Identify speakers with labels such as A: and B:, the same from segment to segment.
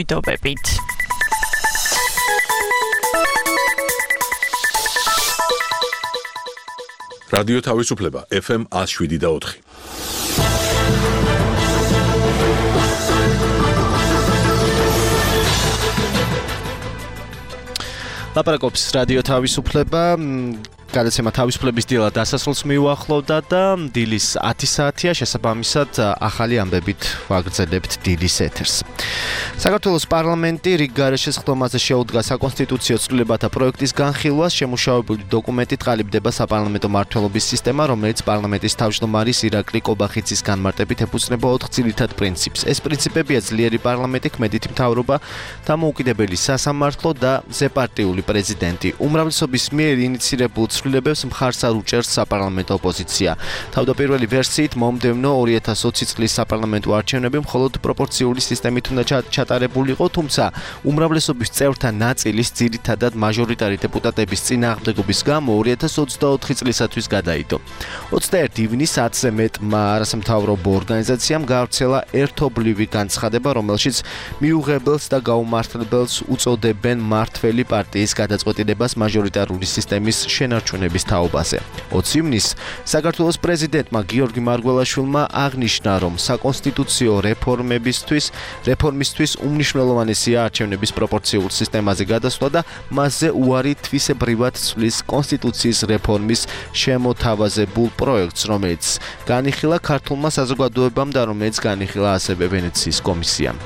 A: მიტოვებით.
B: რადიო თავისუფლება FM 107.4.
C: ლაპარაკობს რადიო თავისუფლება. გადაცემა თავისუფლების დილა დასასრულს მიუახლოვდა და დილის 10 საათია, შესაბამისად ახალი ამბებით ვაგრძელებთ დილის ეთერს. საქართველოს პარლამენტი რიგ გარეშე სხდომაზე შეუდგა საკონსტიტუციო ცვლილებათა პროექტის განხილვას. შემუშავებული დოკუმენტით ყალიბდება საპარლამენტო მმართველობის სისტემა, რომელიც პარლამენტის თავმჯდომარის ირაკლი კობახიძის განმარტებით ეფუძნება 4 ძირითად პრინციპს. ეს პრინციპებია ძლიერი პარლამენტი, ქმედითი მთავრობა, დამოუკიდებელი სასამართლო და ზეპარტიული პრეზიდენტი. უმრავლესობის მიერ ინიცირებულ ცვლილებებს მხარს არ უჭერს საპარლამენტო ოპოზიცია. თავდაპირველი ვერსიით მომდევნო 2020 წლის საპარლამენტო არჩევნები მხოლოდ პროპორციული სისტემით უნდა ჩატარებულიყო, თუმცა უმრავლესობის წევრთა ნაწილის ძირითადად მაჟორიტარი დეპუტატების წინააღმდეგობის გამო 2024 წლისათვის გადაიდო. 21 ივნის 10-ზე მეტმა არასამთავრობო ორგანიზაციამ გავრცელა ერთობლივი განცხადება, რომელშიც მიუღებელს და გაუმართლებელს უწოდებენ მმართველი პარტიის გადაწყვეტილებას მაჟორიტარული სისტემის შენარჩუნების თაობაზე. 20 ივნისს საქართველოს პრეზიდენტმა გიორგი მარგველაშვილმა აღნიშნა, რომ საკონსტიტუციო რეფორმისთვის უმნიშვნელოვანესია არჩევნების პროპორციულ სისტემაზე გადასვლა და მასზე უარი თვისებრივად ცვლის კონსტიტუციის რეფორმის შემოთავაზებულ პროექტს, რომელიც განიხილა ქართულმა საზოგადოებამ და რომელიც განიხილა ასევე ვენეციის კომისიამ.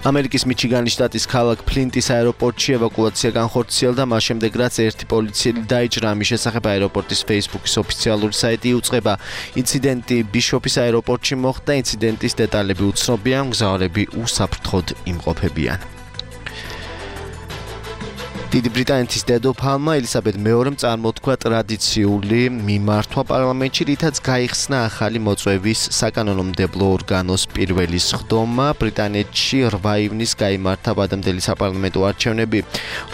C: ამერიკის მიჩიგანის შტატის ქალაქ ფლინტის აეროპორტში ევაკუაცია განხორციელდა, მას შემდეგ რაც ერთი პოლიციელი დაიჭრა. ამის შესახებ აეროპორტის Facebook-ის ოფიციალური საიტი იუწყება. ინციდენტი ბიშოფის აეროპორტში მოხდა, ინციდენტის დეტალები უცნობია, მგზავრები უსაფრთხოდ იმყოფებიან. დიდი ბრიტანეთის დედოფალმა ელისაბედ მეორემ წარმოთქვა ტრადიციული მიმართვა პარლამენტში, რითაც გაიხსნა ახალი მოწვევის საკანონმდებლო ორგანოს პირველი სხდომა. ბრიტანეთში 8 ივნისს გაიმართა ვადამდელი საპარლამენტო არჩევნები,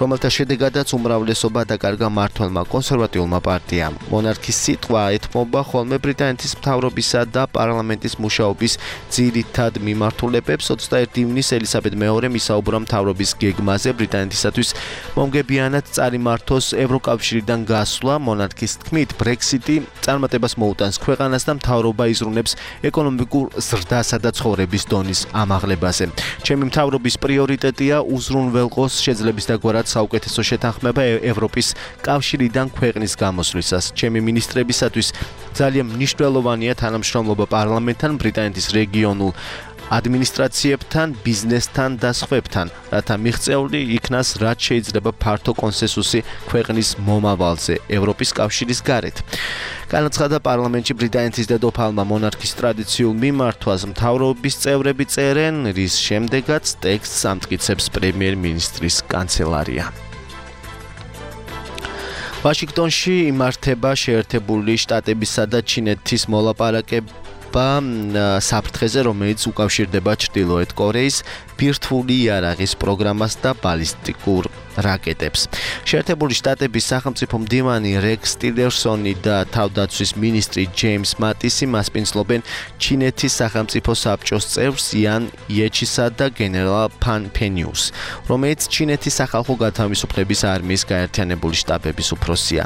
C: რომელთა შედეგადაც უმრავლესობა დაკარგა მმართველმა კონსერვატიულმა პარტიამ. მონარქის სიტყვა ეთმობა ხოლმე ბრიტანეთის მთავრობისა და პარლამენტის მუშაობის ძირითად მიმართულებებს. 21 ივნისს ელისაბედ მეორემ ისაუბრა მთავრობის გეგმაზე ბრიტანეთისათვის მომგებიანად წარიმართოს ევროკავშირიდან გასვლა. მონარქის თქმით, ბრექსიტი წარმატებას მოუტანს ქვეყანას და მთავრობა იზრუნებს ეკონომიკურ ზრდასა და ცხოვრების დონის ამაღლებაზე. ჩემი მთავრობის პრიორიტეტია უზრუნველყოს შეძლების დაგვარად საუკეთესო შეთანხმება ევროპის კავშირიდან ქვეყნის გამოსვლისას. ჩემი მინისტრებისათვის ძალიან მნიშვნელოვანია თანამშრომლობა პარლამენტთან, ბრიტანეთის რეგიონულ ადმინისტრაციებთან, ბიზნესთან და სხვებთან, რათა მიღწეული იქნას რაც შეიძლება ფართო კონსენსუსი ქვეყნის მომავალზე ევროპის კავშირის გარეთ. განაცხადა პარლამენტში ბრიტანეთის დედოფალმა მონარქის ტრადიციულ მიმართვას მთავრობის წევრები წერენ, რის შემდეგაც ტექსტს ამტკიცებს პრემიერ-მინისტრის კანცელარია. ვაშინგტონში იმართება შეერთებული შტატებისა და ჩინეთის მოლაპარაკება საფრთხეზე, რომელიც უკავშირდება ჩრდილოეთ კორეის ბირთვული იარაღის პროგრამას და ბალისტიკურ რაკეტებს. შეერთებული შტატების სახელმწიფო მდივანი რეკს ტილერსონი და თავდაცვის მინისტრი ჯეიმს მატისი მასპინძლობენ ჩინეთის სახელმწიფო საბჭოს წევრს იან იეჩისა და გენერალ ფან ფენიუს, რომელიც ჩინეთის სახალხო გათავისუფლების არმიის გაერთიანებული შტაბების უფროსია.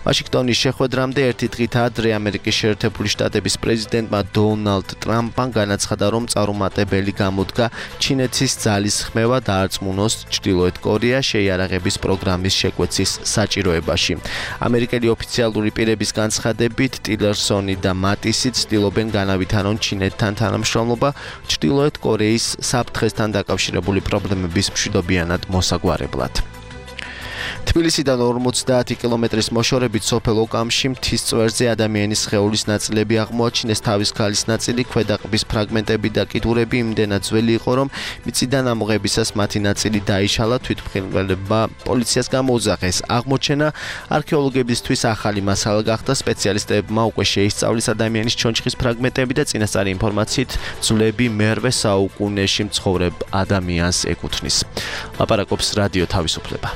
C: ვაშინგტონის შეხვედრამდე ერთი დღით ადრე ამერიკის შეერთებული შტატების პრეზიდენტმა დონალდ ტრამპმა განაცხადა, რომ წარუმატებელი გამოდგა ჩინეთის ძალის ხმევა დაარწმუნოს ჩრდილოეთ კორეა შეიარაღების პროგრამის შეკვეცის საჭიროებაში. ამერიკელი ოფიციალური პირების განცხადებით, ტილერსონი და მატისი ცდილობენ განავითარონ ჩინეთთან თანამშრომლობა ჩრდილოეთ კორეის საფრთხესთან დაკავშირებული პრობლემების მშვიდობიანად მოსაგვარებლად. თბილისიდან 50 კილომეტრის მოშორებით სოფელ ოკამში მთის წვერზე ადამიანის სხეულის ნაწილები აღმოაჩინეს. თავის ქალის ნაწილი, ქვედაყბის ფრაგმენტები და კიდურები იმდენად ძველი იყო, რომ მიწიდან ამოღებისას მათი ნაწილი დაიშალა. თვითმხილველებმა პოლიციას გამოუძახეს. აღმოჩენა არქეოლოგებისთვის ახალი მასალა გახდა. სპეციალისტებმა უკვე შეისწავლეს ადამიანის ჩონჩხის ფრაგმენტები და წინასწარი ინფორმაციით ძვლები მერვე საუკუნეში მცხოვრებ ადამიანს ეკუთვნის. ლაპარაკობს რადიო თავისუფლება.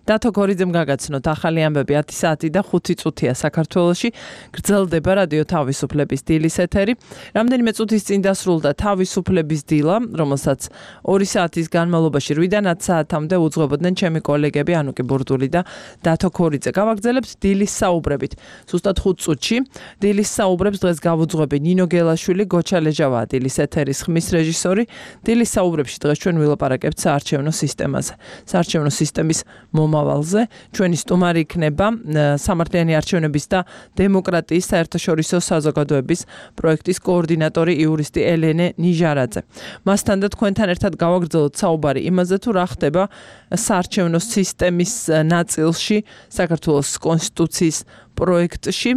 A: დათო გორიძემ გაგაცნოთ ახალი ამბები 10 საათი და 5 წუთია საქართველოში. გრძელდება რადიო თავისუფლების დილის ეთერი. რამდენიმე წუთის წინ დასრულდა თავისუფლების დილა, რომელსაც 2 საათის განმავლობაში 8-დან 10 საათამდე უძღვებოდნენ ჩემი კოლეგები ანუკი ბურდული და დათო გორიძე. გავაგრძელებთ დილის საუბრებით. ზუსტად 5 წუთში დილის საუბრებს დღეს გავუძღვები ნინო გელაშვილი, გოჩა ლეჯავაა დილის ეთერის ხმის რეჟისორი. დილის საუბრებში დღეს ჩვენ ვილაპარაკებთ საარჩევნო სისტემაზე. საარჩევნო სისტემის მომავალზე. ჩვენი სტუმარი იქნება სამართლიანი არჩევნების და დემოკრატიის საერთაშორისო საზოგადოების პროექტის კოორდინატორი იურისტი ელენე ნიჟარაძე. მასთან და თქვენთან ერთად გავაგრძელოთ საუბარი იმაზე, თუ რა ხდება საარჩევნო სისტემის ნაწილში საქართველოს კონსტიტუციის პროექტში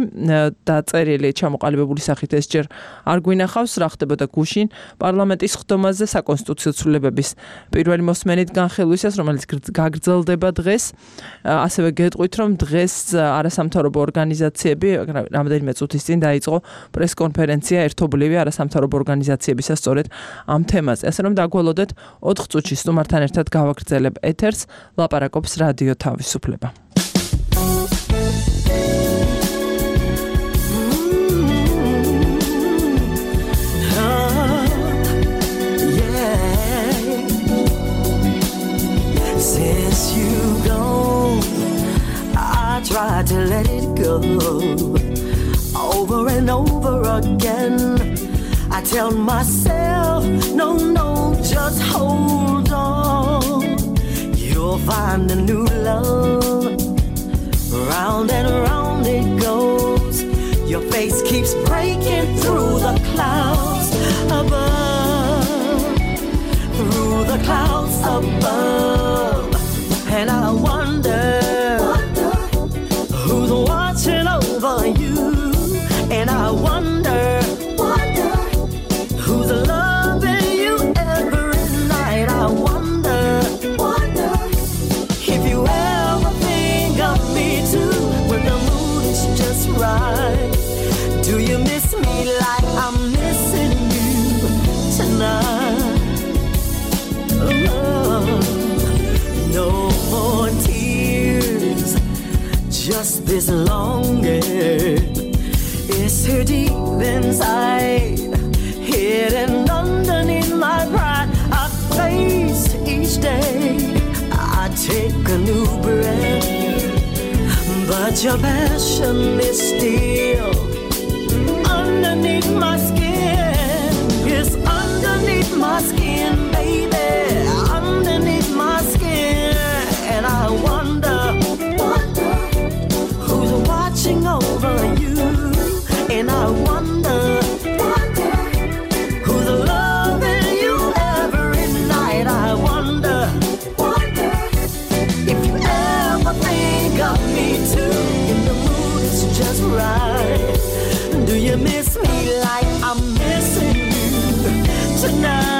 A: დაწერილი ჩამოყალიბებული სახით ეს ჯერ არ გვინახავს, რა ხდებოდა გუშინ პარლამენტის ხდომაზე საკონსტიტუციო ცვლილებების პირველი მოსმენით განხილვისას, რომელიც გაგრძელდება დღეს. ასევე გეტყვით, რომ დღეს არასამთავრობო ორგანიზაციები რამდენიმე წუთის წინ დაიწყო პრესკონფერენცია ერთობლივი არასამთავრობო ორგანიზაციებისა სწორედ ამ თემაზე. ასე რომ დაგველოდეთ 4 წუთში სტუმართან ერთად გავაგრძელებ ეთერს, ლაპარაკობს რადიო თავისუფლება.
D: Try to let it go over and over again. I tell myself, no, just hold on. You'll find a new love. Round and round it goes. Your face keeps breaking through the clouds above. Through the clouds above. And I wonder who's watching over you, and I wonder who's loving you every night. I wonder if you ever think of me too when the mood is just right. Do you miss me like I'm missing you tonight? Oh, no more tears, just this longing. It's here deep inside, hidden underneath my pride. I face each day, I take a new breath, but your passion is still underneath my skin. It's underneath my skin, baby, underneath my skin. And I wonder who's watching over you, and I wonder who's loving you every night. I wonder if you ever think of me too, if the mood is just right. Do you miss me like I'm missing you tonight?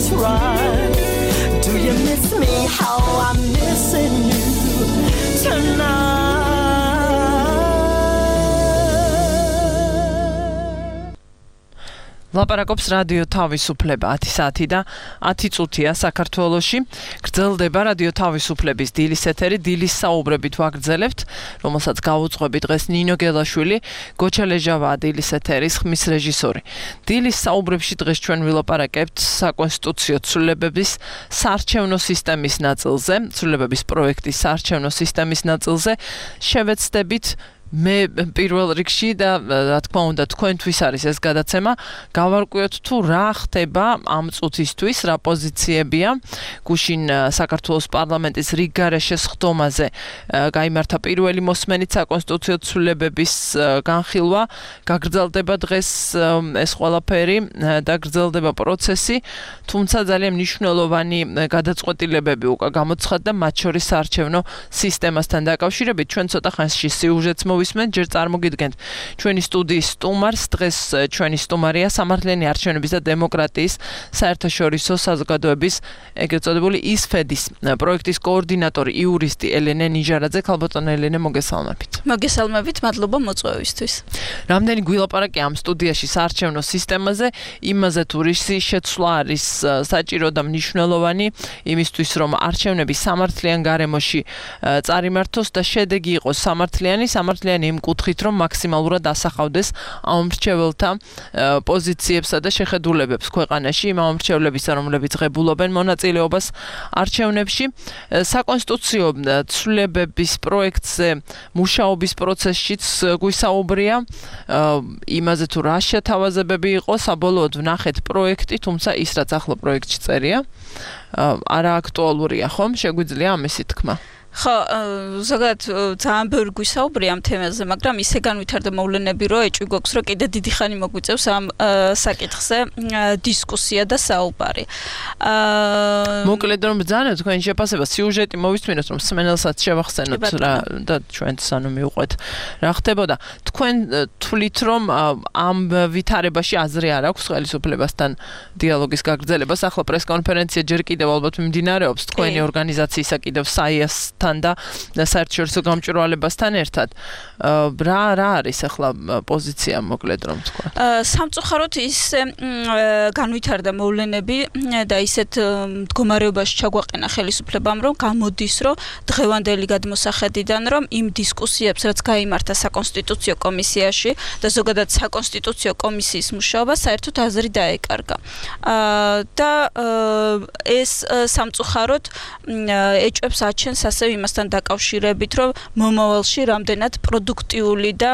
D: just right. Do you miss me how I'm missing you tonight?
A: ლაპარაკობს რადიო თავისუფლება 10 საათი და 10 წუთია საქართველოში. გრძელდება რადიო თავისუფლების დილის ეთერი, დილის საუბრებით ვაგრძელებთ, რომელსაც გაუძღვები დღეს ნინო გელაშვილი, გოჩა ლეჟავაა დილის ეთერის ხმის რეჟისორი. დილის საუბრებში დღეს ჩვენ ვილაპარაკებთ საკონსტიტუციო ცვლილებების საარჩევნო სისტემის ნაწილზე, ცვლილებების პროექტის საარჩევნო სისტემის ნაწილზე, შევეცდებით მე პირველ რიგში და რა თქმა უნდა თქვენთვის არის ეს გადაცემა გავარკვიოთ თუ რა ხდება ამ წუთისთვის რა პოზიციებია გუშინ საქართველოს პარლამენტის რიგგარეშე სხდომაზე გაიმართა პირველი მოსმენით საკონსტიტუციო ცვლილებების განხილვა გაგრძელდება დღეს ეს ყველაფერი და გრძელდება პროცესი თუმცა ძალიან მნიშვნელოვანი გადაწყვეტილებები უკვე გამოცხადდა მათ შორის საარჩევნო სისტემასთან დაკავშირებით ჩვენ ცოტა ხანში სიუჟეტს მოვისმენთ, ჯერ წარმოგიდგენთ ჩვენი სტუდიის სტუმარს, დღეს ჩვენი სტუმარია სამართლიანი არჩევნების და დემოკრატიის საერთაშორისო საზოგადოების ეგრეთ წოდებული ISFED-ის პროექტის კოორდინატორი იურისტი ელენე ნიჟარაძე. ქალბატონო ელენე, მოგესალმებით.
E: მოგესალმებით, მადლობა მოწვევისთვის.
A: რამდენი გვილაპარაკე ამ სტუდიაში საარჩევნო სისტემაზე, იმაზე თუ რისი შეცვლა არის საჭირო და მნიშვნელოვანი იმისთვის, რომ არჩევნები სამართლიან გარემოში წარიმართოს და შედეგი იყოს სამართლიანი იმ კუთხით, რომ მაქსიმალურად ასახავდეს ამომრჩეველთა პოზიციებსა და შეხედულებებს ქვეყანაში, იმ ამომრჩეველებისა, რომლებიც ღებულობენ მონაწილეობას არჩევნებში. საკონსტიტუციო ცვლილებების პროექტზე მუშაობის პროცესშიც გვისაუბრია, იმაზე თუ რა შეთავაზებები იყო, საბოლოოდ ვნახეთ პროექტი, თუმცა ის რაც ახლა პროექტში წერია, არა აქტუალურია, ხომ? შეგვიძლია ამისი თქმა?
E: ხო, ზოგადად ძალიან ბევრი გვისაუბრია ამ თემაზე, მაგრამ ისე განვითარდა მოვლენები, რომ ეჭვი გვაქვს, რომ კიდე დიდი ხანი მოგვიწევს ამ საკითხზე დისკუსია და საუბარი.
A: მოკლედ რომ ბრძანოთ თქვენი შეფასება, სიუჟეტი მოვისმინოთ, რომ სმენელსაც შევახსენოთ რა და ჩვენც ანუ მივყვეთ რა ხდებოდა. თქვენ თვლით, რომ ამ ვითარებაში აზრი არ აქვს ხელისუფლებასთან დიალოგის გაგრძელებას, ახლა პრესკონფერენცია ჯერ კიდევ ალბათ მიმდინარეობს თქვენი ორგანიზაციისა კიდევ საიასთან და საერთაშორისო გამჭვირვალებასთან ერთად. რა არის ახლა პოზიცია მოკლედ რომ თქვა?
E: სამწუხაროდ ისე განვითარდა მოვლენები და ისეთ მდგომარეობაში ჩაგვაყენა ხელისუფლებამ, რომ გამოდის, რომ დღევანდელი გადმოსახედიდან, რომ იმ დისკუსიებს, რაც გაიმართა საკონსტიტუციო კომისიაში და ზოგადად საკონსტიტუციო კომისიის მუშაობა საერთოდ აზრი დაეკარგა. და ეს სამწუხაროდ ეჭვებს აჩენს ასევე იმასთან დაკავშირებით, რომ მომავალში რამდენად პროდუქტიული და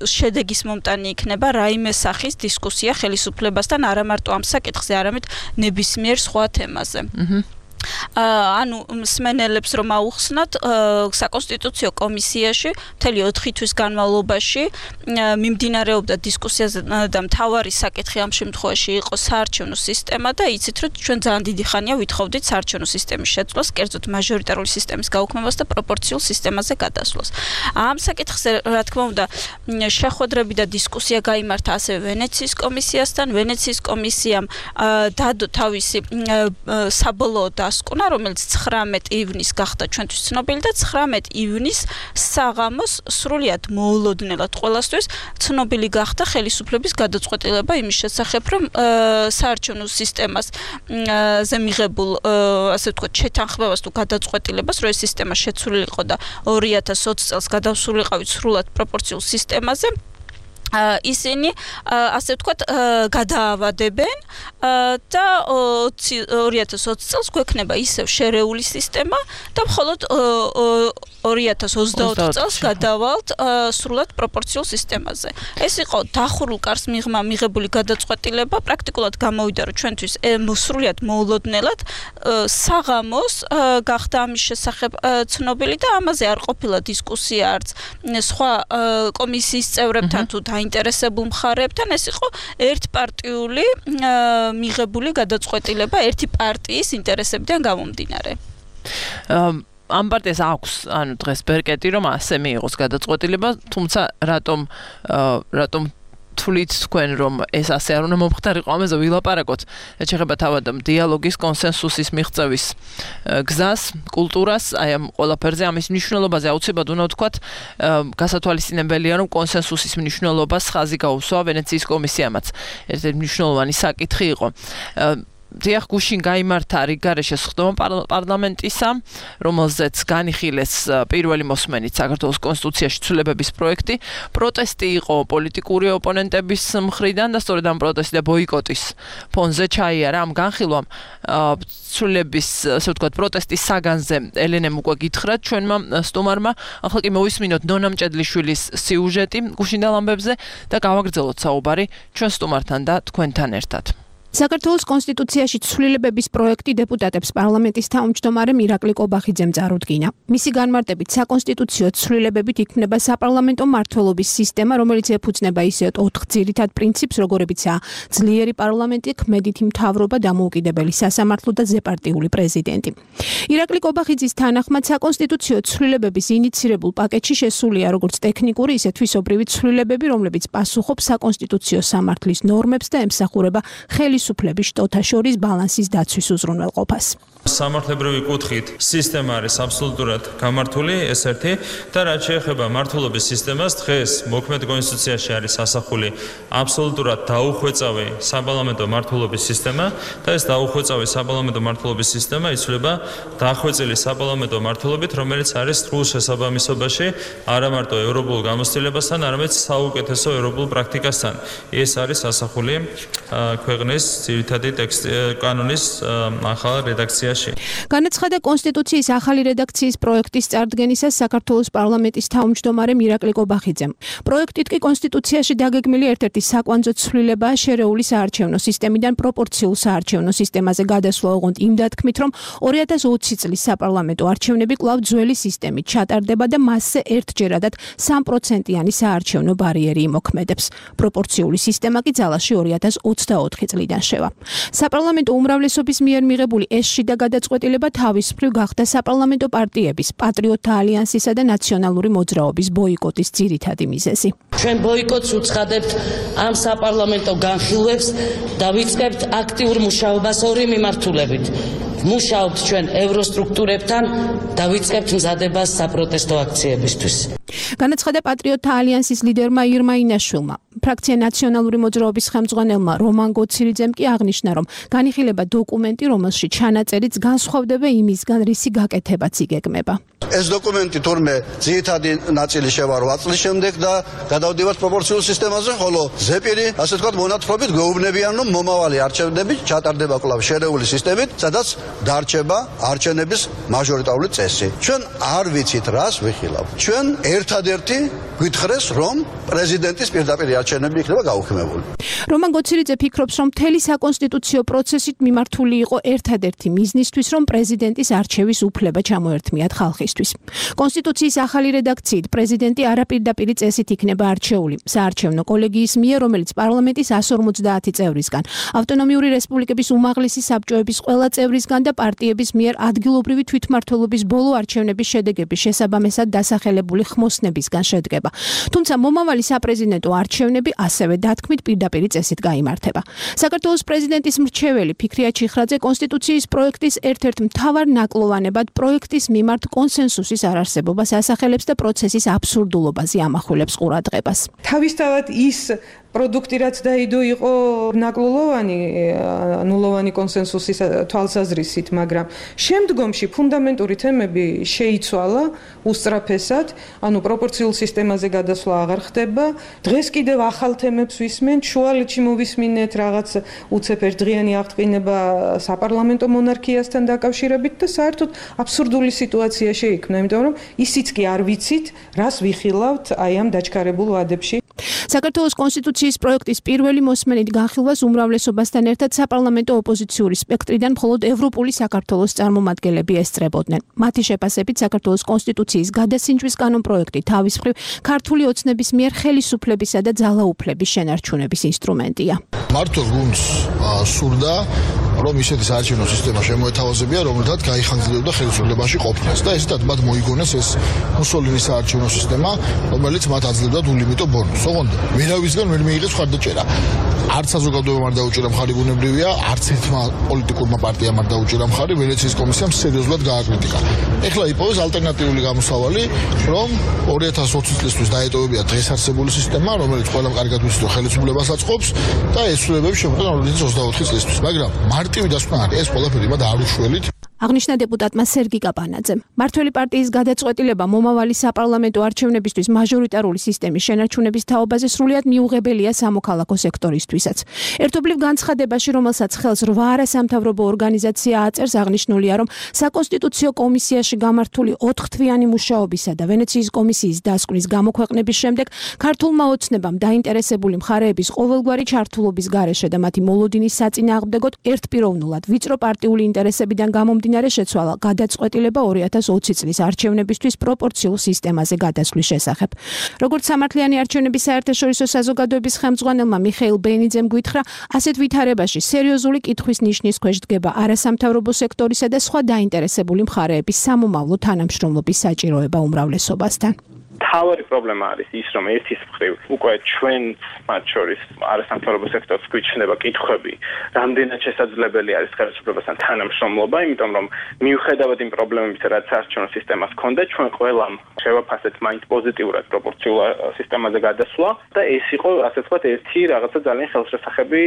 E: შედეგის მომტანი იქნება რაიმე სახის დისკუსია ხელისუფლებასთან არა მარტო ამ საკითხზე, არამედ ნებისმიერ სხვა თემაზე. ანუ მსმენელებს რომ აუხსნათ საკონსტიტუციო კომისიაში მთელი 4 თვის განმავლობაში მიმდინარეობდა დისკუსიაზე და მთავარი საკითხი ამ შემთხვევაში იყო საარჩევნო სისტემა და იცით რომ ჩვენ ძალიან დიდი ხანია ვითხოვდით საარჩევნო სისტემის შეცვლას, კერძოდ მაჟორიტარული სისტემის გაუქმებას და პროპორციულ სისტემაზე გადასვლას. ამ საკითხზე რა თქმა უნდა შეხვედრები და დისკუსია გაიმართა ასევე ვენეციის კომისიასთან. ვენეციის კომისიამ დადო თავისი საბოლოო დასკვნა, რომელიც 19 ივნისს გახდა ჩვენთვის ცნობილი და 19 ივნისს საღამოს სრულიად მოულოდნელად ყველასთვის ცნობილი გახდა ხელისუფლების გადაწყვეტილება იმის შესახებ, რომ საარჩევნო სისტემაზე მიღებულ ასე ვთქვათ შეთანხმებას თუ გადაწყვეტილებას, რომ ეს სისტემა შეცვლილიყო და 2020 წელს გადასულიყავით სრულად პროპორციულ სისტემაზე, ისინი ასე ვთქვათ გადაავადებენ და 2020 წელს გვექნება ისევ შერეული სისტემა და მხოლოდ 2024 წელს გადავალთ სრულად პროპორციულ სისტემაზე. ეს იყო დახურულ კარს მიღებული გადაწყვეტილება, პრაქტიკულად გამოვიდა, რომ ჩვენთვის სრულად მოულოდნელად საღამოს გახდა ამის შესახებ ცნობილი და ამაზე არ ყოფილა დისკუსია არც სხვა კომისიის წევრებთან თუ დაინტერესებულ მხარეებთან. ეს იყო ერთპარტიული მიღებული გადაწყვეტილება ერთი პარტიის ინტერესებიდან გამომდინარე.
A: ამ პარტიას აქვს ანუ დღეს ბერკეტი რომ ასე მიიღოს გადაწყვეტილება, თუმცა რატომ თვლით თქვენ რომ ეს ასე არ უნდა მომხდარიყო ამაზე ვილაპარაკოთ ეხება თავად დიალოგის კონსენსუსის მიღწევის გზას კულტურას აი ამ ყველაფერზე ამის მნიშვნელობაზე აუცილებლად უნდა ვთქვათ გასათვალისწინებელია რომ კონსენსუსის მნიშვნელობას ხაზი გაუსვა ვენეციის კომისიამაც ერთ-ერთი მნიშვნელოვანი საკითხი იყო დიახ გუშინ გაიმართა რიგარეშე სხდომა პარლამენტისა რომელზეც განიხილეს პირველი მოსმენით საქართველოს კონსტიტუციაში ცვლილებების პროექტი პროტესტი იყო პოლიტიკური ოპონენტების მხრიდან და სწორედ ამ პროტესტი და ბოიკოტის ფონზე ჩაიარა ამ განხილვამ ცვლილების ასე ვთქვათ პროტესტის საგანზე ელენემ უკვე გითხრათ ჩვენმა სტუმარმა ახლა კი მოვისმინოთ ნონა მჭედლიშვილის სიუჟეტი გუშინდელ ამბებზე და გავაგრძელოთ საუბარი ჩვენ სტუმართან და თქვენთან ერთად
F: საქართველოს კონსტიტუციაში ცვლილებების პროექტი დეპუტატებს პარლამენტის თავმჯდომარემ ირაკლი კობახიძემ წარუდგინა. მისი განმარტებით საკონსტიტუციო ცვლილებებით იქმნება საპარლამენტო მმართველობის სისტემა, რომელიც ეფუძნება ისეთ 4 ძირითად პრინციპს, როგორებიცაა ძლიერი პარლამენტი, ქმედითი მთავრობა, დამოუკიდებელი სასამართლო და ზეპარტიული პრეზიდენტი. ირაკლი კობახიძის თანახმად საკონსტიტუციო ცვლილებების ინიცირებულ პაკეტში შესულია როგორც ტექნიკური, ისე თვისობრივი ცვლილებები, რომლებიც პასუხობს საკონსტიტუციო სამართლის ნორმებს და ემსახურება ხელისუფლების შტოთა შორის ბალანსის დაცვის უზრუნველყოფას.
G: სამართლებრივი კუთხით სისტემა არის აბსოლუტურად გამართული, ეს ერთი და რაც შეეხება მმართველობის სისტემას, დღეს მოქმედ კონსტიტუციაში არის ასახული აბსოლუტურად დაუხვეწავი საპარლამენტო მმართველობის სისტემა და ეს დაუხვეწავი საპარლამენტო მმართველობის სისტემა იცვლება დახვეწილი საპარლამენტო მმართველობით, რომელიც არის სრულ შესაბამისობაში არა მარტო ევროპულ გამოცდილებასთან, არამედ საუკეთესო ევროპულ პრაქტიკასთან. ეს არის ასახული ქვეყნის ძირითადი კანონის ახალ რედაქციაში.
F: განაცხადა კონსტიტუციის ახალი რედაქციის პროექტის წარდგენისას საქართველოს პარლამენტის თავმჯდომარემ ირაკლი კობახიძემ. პროექტით კი კონსტიტუციაში დაგეგმილი ერთ-ერთი საკვანძო ცვლილებაა შერეული საარჩევნო სისტემიდან პროპორციულ საარჩევნო სისტემაზე გადასვლა, ოღონდ იმ დათქმით, რომ 2020 წლის საპარლამენტო არჩევნები კვლავ ძველი სისტემით ჩატარდება და მასზე ერთჯერადად 3%-იანი საარჩევნო ბარიერი იმოქმედებს. პროპორციული სისტემა კი ძალაში 2024 წლიდან შევა. საპარლამენტო უმრავლესობის მიერ მიღებული ეს შიდა გადაწყვეტილება თავის მხრივ გახდა საპარლამენტო პარტიების, პატრიოტთა ალიანსისა და ნაციონალური მოძრაობის ბოიკოტის ძირითადი მიზეზი.
H: ჩვენ ბოიკოტს უცხადებთ ამ საპარლამენტო განხილვებს და ვიწყებთ აქტიურ მუშაობას ორი მიმართულებით. მუშაობთ ჩვენ ევროსტრუქტურებთან და ვიწყებთ მზადებას საპროტესტო აქციებისთვის.
F: განაცხადა პატრიოტთა ალიანსის ლიდერმა ირმა ინაშვილმა. ფრაქცია ნაციონალური მოძრაობის ხელმძღვანელმა რომან გოცირიძემ კი აღნიშნა, რომ განიხილება დოკუმენტი, რომელშიც ჩანაწერიც განსხვავდება იმისგან, რისი გაკეთებაც იგეგმება.
I: ეს დოკუმენტი თურმე ძირითადი ნაწილი შევა 8 წლის შემდეგ და გადავდივართ პროპორციულ სისტემაზე, ხოლო ზეპირი, ასე ვთქვათ, მონათხრობით გვეუბნებიან, რომ მომავალი არჩევნები ჩატარდება კვლავ შერეული სისტემით, სადაც დარჩება არჩევნების მაჟორიტარული წესი. ჩვენ არ ვიცით რას ვიხილავ. ჩვენ ერთადერთი გვითხრეს, რომ პრეზიდენტის პირდაპირ არჩევნები იქნება გაუქმებული.
F: რომან გოცირიძე ფიქრობს, რომ მთელი საკონსტიტუციო პროცესით მიმართული იყო ერთადერთი მიზნისთვის, რომ პრეზიდენტის არჩევის უფლება ჩამოერთმიათ ხალხისთვის. კონსტიტუციის ახალი რედაქციით პრეზიდენტი არაპირდაპირი წესით იქნება არჩეული საარჩევნო კოლეგიის მიერ, რომელიც პარლამენტის 150 წევრისგან, ავტონომიური რესპუბლიკების უმაღლესი საბჭოების ყველა წევრისგან და პარტიების მიერ ადგილობრივი თვითმმართველობის ბოლო არჩევნების შედეგების შესაბამისად დასახელებული ხმოსნებისგან შედგება. თუმცა მომავალი საპრეზიდენტო არჩევნები ასევე დათქმით პირდაპირი წესით გაიმართება. საქართველოს პრეზიდენტის მრჩეველი ფიქრია ჩიხრაძე კონსტიტუციის პროექტის ერთ-ერთ მთავარ ნაკლოვანებად პროექტის მიმართ კონსენსუსის არარსებობას ასახელებს და პროცესის აბსურდულობაზე ამახვილებს ყურადღებას.
J: თავისთავად ის პროდუქტი რაც დაიდო იყო ნაკლოვანი, ნულოვანი კონსენსუსის თვალსაზრისით, მაგრამ შემდგომში ფუნდამენტური თემები შეიცვალა უსწრაფესად, ანუ პროპორციულ სისტემაზე გადასვლა აღარ ხდება. დღეს კიდევ ახალ თემებს ვისმენთ, შუალედში მოვისმინეთ რაღაც უცებ ერთდღიანი აღწყინება საპარლამენტო მონარქიასთან დაკავშირებით და საერთოდ აბსურდული სიტუაცია შეიქმნა, იმიტომ რომ ისიც კი არ ვიცით, რას ვიხილავთ აი ამ დაჩქარებულ ვადებში.
F: საქართველოს კონსტიტუციის პროექტის პირველი მოსმენით განხილვას უმრავლესობასთან ერთად საპარლამენტო ოპოზიციური სპექტრიდან მხოლოდ ევროპული საქართველოს წარმომადგენლები ესწრებოდნენ. მათი შეფასებით საქართველოს კონსტიტუციის გადასინჯვის კანონპროექტი თავის მხრივ ქართული ოცნების მიერ ხელისუფლებისა და ძალაუფლების შენარჩუნების ინსტრუმენტია.
K: მართლაც გუნდს სურდა რომ ისეთი საარჩევნო სისტემა შემოეთავაზებია, რომელთაც გაიხანგრძლივდა ხელისუფლებაში ყოფნას და ესეთად მათ მოიგონეს ეს მუსოლინის საარჩევნო სისტემა, რომელიც მათ აძლევდა ულიმიტო ბონუსს. ოღონდ ვერავისგან ვერ მიიღეს მხარდაჭერა. არც საზოგადოებამ არ დაუჭირა მხარი ბუნებრივია, არც ერთმა პოლიტიკურმა პარტიამ არ დაუჭირა მხარი, ვენეციის კომისიამ სერიოზულად გააკრიტიკა. ეხლა იპოვეს ალტერნატიული გამოსავალი, რომ 2020 წლისთვის დაეტოვებია დღეს არსებული სისტემა, რომელიც ყველამ კარგად ვიცით, ხელისუფლებას აწყობს და ესრულებებს შემდგომ 2024 წლისთვის, მაგრამ მარტივი დასკვნა არის, ეს ყველაფერი მათ არ უშველით.
F: აღნიშნა დეპუტატმა სერგი კაპანაძემ. მართველი პარტიის გადაწყვეტილება მომავალი საპარლამენტო არჩევნებისთვის მაჟორიტარული სისტემის შენარჩუნების თაობაზე სრულიად მიუღებელია სამოქალაქო სექტორისთვისაც. ერთობლივ განცხადებაში, რომელსაც ხელს 8 არასამთავრობო ორგანიზაცია აწერს, აღნიშნულია, რომ საკონსტიტუციო კომისიაში გამართული 4 თვიანი მუშაობისა და ვენეციის კომისიის დასკვნის გამოქვეყნების შემდეგ ქართულმა ოცნებამ დაინტერესებული მხარეების ყოველგვარი ჩართულობის გარეშე და მათი მოლოდინის საწინააღმდეგოდ ერთპიროვნულად ვიწრო პარტიული ინტერესებიდან გამომდინარე შეცვალა გადაწყვეტილება 2020 წლის არჩევნებისთვის პროპორციულ სისტემაზე გადასვლის შესახებ. როგორც სამართლიანი არჩევნების საერთაშორისო საზოგადოების ხელმძღვანელმა მიხეილ ბენიძემ გვითხრა, ასეთ ვითარებაში სერიოზული კითხვის ნიშნის ქვეშ დგება არასამთავრობო სექტორისა და სხვა დაინტერესებული მხარეების სამომავლო თანამშრომლობის საჭიროება უმრავლესობასთან.
L: თავი პრობლემა არის ის, რომ ერთის მხრივ უკვე ჩვენ მათ შორის არასამთავრობო სექტორს გვიჩნდება კითხვები, რამდენად შესაძლებელი არის ხელისუფლებასთან თანამშრომლობა, იმიტომ რომ მიუხედავად იმ პრობლემებისა, რაც არჩევნო სისტემას ჰქონდა, ჩვენ ყველამ შევაფასეთ მაინც პოზიტიურად პროპორციულ სისტემაზე გადასვლა და ეს იყო, ასე ვთქვათ, ერთი რაღაცა ძალიან ხელშესახები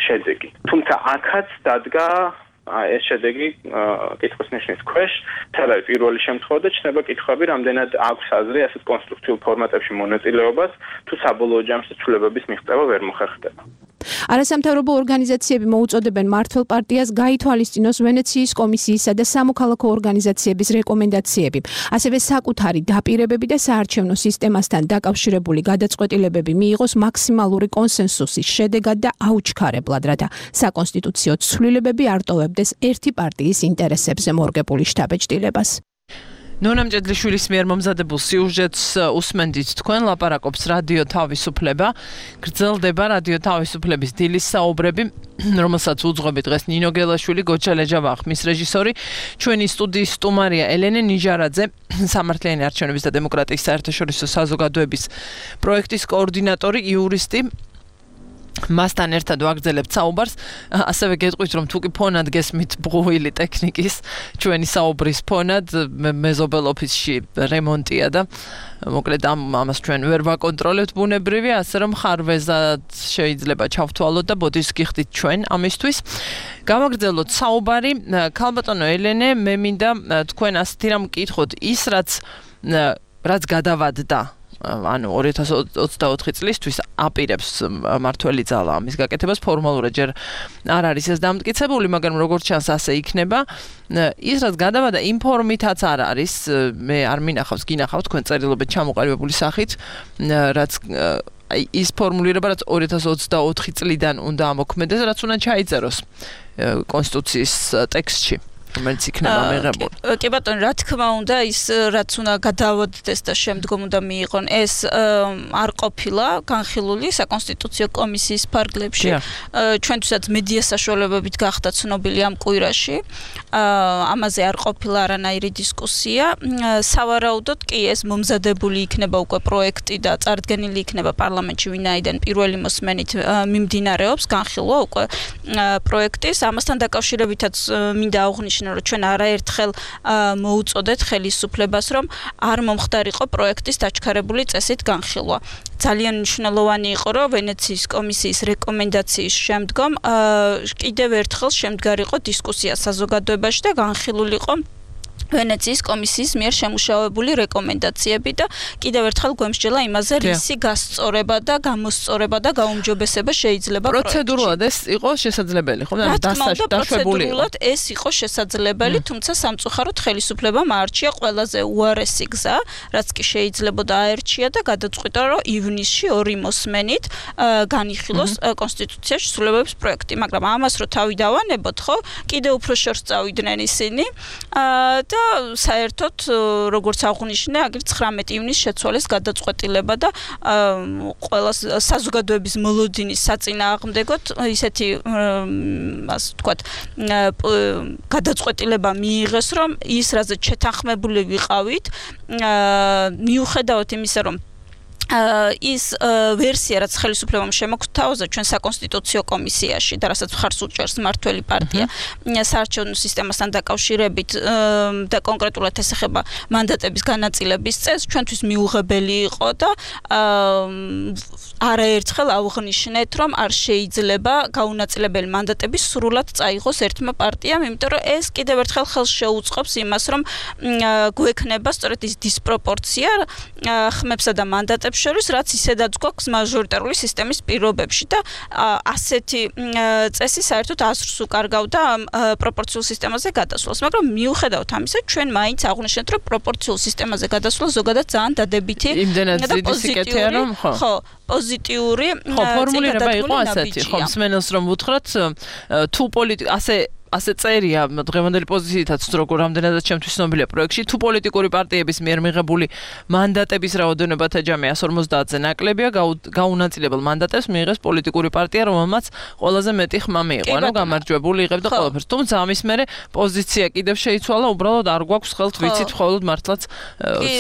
L: შედეგი. თუმცა აქაც დადგა ეს შედეგი კითხვის ნიშნის ქვეშ, თელავი პირველი შემთხვევა და ჩნდება კითხვები, რამდენად აქვს აზრი ასეთ კონსტრუქციულ ფორმატებში მონაწილეობას, თუ საბოლოო ჯამში ცვლილებების მიღწევა ვერ მოხერხდება.
F: არასამთავრობო ორგანიზაციები მოუწოდებენ მართლ პარტიას გაითვალისწინოს ვენეციის კომისიისა და სამოქალაქო ორგანიზაციების რეკომენდაციები, ასევე საკუთარი დაპირებები და საარჩევნო სისტემასთან დაკავშირებული გადაწყვეტილებები მიიღოს მაქსიმალური კონსენსუსის შედეგად და აუჩქარებლად, რათა საკონსტიტუციო ცვლილებები არ ტოვებდეს ერთი პარტიის ინტერესებზე მორგებული შთაბეჭდილებას.
A: ნონა მჭედლიშვილის მიერ მომზადებულ სიუჟეტს უსმენდით თქვენ, ლაპარაკობს რადიო თავისუფლება. გრძელდება რადიო თავისუფლების დილის საუბრები, რომელსაც უძღვები დღეს ნინო გელაშვილი, გოჩა ლეჯავა ხმის რეჟისორი, ჩვენი სტუდიის სტუმარია ელენე ნიჟარაძე, სამართლიანი არჩევნების და დემოკრატიის საერთაშორისო საზოგადოების პროექტის კოორდინატორი, იურისტი. მასთან ერთად ვაგრძელებთ საუბარს, ასევე გეტყვით, რომ თუკი ფონად გესმით ბღვილი ტექნიკის, ჩვენი საუბრის ფონად მეზობელ ოფისში რემონტია და მოკლედ ამას ჩვენ ვერ ვაკონტროლებთ ბუნებრივია, ასე რომ ხარვეზად შეიძლება ჩავთვალოთ და ბოდის გიხდით ჩვენ ამისთვის. გამაგრძელოთ საუბარი, ქალბატონო ელენე, მე მინდა თქვენ ასეთი რამ მკითხოთ, ის რაც გადავადდა ანუ 2024 წლისთვის აპირებს მართველი ძალა ამის გაკეთებას, ფორმალურად ჯერ არ არის ეს დამტკიცებული, მაგრამ როგორც ჩანს ასე იქნება. ის რაც გადავადა იმ ფორმითაც არ არის, მე არ მინახავს, გინახავთ თქვენ წერილობით ჩამოყალიბებული სახით, რაც ის ფორმულირება, რაც 2024 წლიდან უნდა ამოქმედდეს, რაც უნდა ჩაიწეროს კონსტიტუციის ტექსტში. რომელიც იქნება მიღებული.
E: კი ბატონო, რა თქმა უნდა, ის რაც უნდა გადავადდეს და შემდგომ უნდა მიიღონ, ეს არ ყოფილა განხილული საკონსტიტუციო კომისიის ფარგლებში. ჩვენთვისაც მედია საშუალებებით გახდა ცნობილი ამ კვირაში. ამაზე არ ყოფილა არანაირი დისკუსია. სავარაუდოდ კი ეს მომზადებული იქნება უკვე პროექტი და წარდგენილი იქნება პარლამენტში, ვინაიდან პირველი მოსმენით მიმდინარეობს განხილვა უკვე პროექტის. ამასთან დაკავშირებითაც მინდა აღვნიშნო, რომ ჩვენ არაერთხელ მოუწოდეთ ხელისუფლებას, რომ არ მომხდარიყო პროექტის დაჩქარებული წესით განხილვა. ძალიან მნიშვნელოვანი იყო, რომ ვენეციის კომისიის რეკომენდაციის შემდგომ კიდევ ერთხელ შემდგარიყო დისკუსია საზოგადოებაში და განხილულიყო ვენეციის კომისიის მიერ შემუშავებული რეკომენდაციები და კიდევ ერთხელ გვემსჯელა იმაზე, რისი გასწორება და გამოსწორება და გაუმჯობესება შეიძლება
A: პროცედურულად ეს იყო შესაძლებელი, ხო?
E: პროცედურულად ეს იყო შესაძლებელი, თუმცა სამწუხაროდ ხელისუფლებამ აარჩია ყველაზე უარესი გზა, რაც კი შეიძლებოდა აერჩია და გადაწყვიტა, რომ ივნისში 2 მოსმენით განიხილოს კონსტიტუციაში ცვლილებების პროექტი, მაგრამ ამას რო თავი დავანებოთ, ხო? კიდევ უფრო შორს წავიდნენ ისინი და და საერთოდ როგორც აღნიშნე, აგერ 19 ივნისს შეცვალეს გადაწყვეტილება და ყველა საზოგადოების მოლოდინის საწინააღმდეგოდ ისეთი ასე ვთქვათ გადაწყვეტილება მიიღეს, რომ ის რაზეც შეთანხმებული ვიყავით, მიუხედავად იმისა, რომ ის ვერსია, რაც ხელისუფლებამ შემოგთავაზა ჩვენ საკონსტიტუციო კომისიაში და რასაც მხარს უჭერს მმართველი პარტია საარჩევნო სისტემასთან დაკავშირებით და კონკრეტულად ეს ეხება მანდატების განაწილების წესს, ჩვენთვის მიუღებელი იყო და არაერთხელ ავღნიშნეთ, რომ არ შეიძლება გაუნაწილებელი მანდატები სრულად წაიღოს ერთმა პარტიამ, იმიტომ რომ ეს კიდევ ერთხელ ხელს შეუწყობს იმას, რომ გვექნება სწორედ ის დისპროპორცია ხმებსა და მანდატებს შორის, რაც ისედაც გვაქვს მაჟორიტარული სისტემის პირობებში და ასეთი წესი საერთოდ აზრს უკარგავდა პროპორციულ სისტემაზე გადასვლას, მაგრამ მიუხედავად ამისა, ჩვენ მაინც აღვნიშნეთ, რომ პროპორციულ სისტემაზე გადასვლა ზოგადად ძალიან დადებითი და პოზიტიური
A: ფორმულირება იყო ასეთი, ხო, მსმენელს რომ უთხრათ, თუ ასე წერია დღევანდელი პოზიციითაც როგორ რამდენადაც ჩემთვის ცნობილია პროექტში, თუ პოლიტიკური პარტიების მიერ მიღებული მანდატების რაოდენობათა ჯამი 150-ზე ნაკლებია, გაუნაწილებელ მანდატებს მიიღეს პოლიტიკური პარტია, რომელმაც ყველაზე მეტი ხმა მიიღო, ანუ გამარჯვებული იღებდა ყველაფერს. თუმცა ამის მერე პოზიცია კიდევ შეიცვალა, უბრალოდ არ გვაქვს ხელთ ვიცით მხოლოდ მართლაც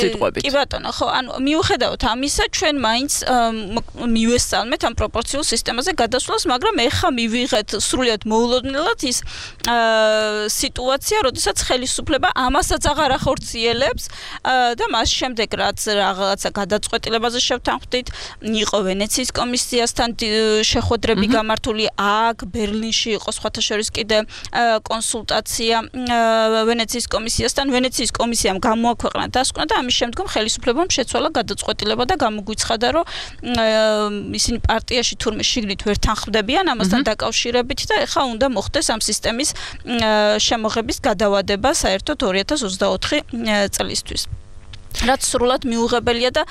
A: სიტყვებით.
E: კი ბატონო, ხო, ანუ მიუხედავად ამისა, ჩვენ მაინც მივესალმეთ ამ პროპორციულ სისტემაზე გადასვლას, მაგრამ ეხა მივიღეთ სრულიად მოულოდნელად ის სიტუაცია, როდესაც ხელისუფლება ამასაც აღარ ახორციელებს და მას შემდეგ რაც რაღაცა გადაწყვეტილებაზე შევთანხმდით, იყო ვენეციის კომისიასთან შეხვედრები გამართული, აქ ბერლინში იყო სხვათა შორის კიდე კონსულტაცია ვენეციის კომისიასთან. ვენეციის კომისიამ გამოაქვეყნა დასკვნა და ამის შემდგომ ხელისუფლებამ შეცვალა გადაწყვეტილება და გამოგვიცხადა, რომ ისინი პარტიაში თურმე შიგნით ვერ თანხმდებიან ამასთან დაკავშირებით და ეხლა უნდა მოხდეს ამ სისტემის შემოღების გადავადება საერთოდ 2024 წლისთვის. რაც სრულად მიუღებელია და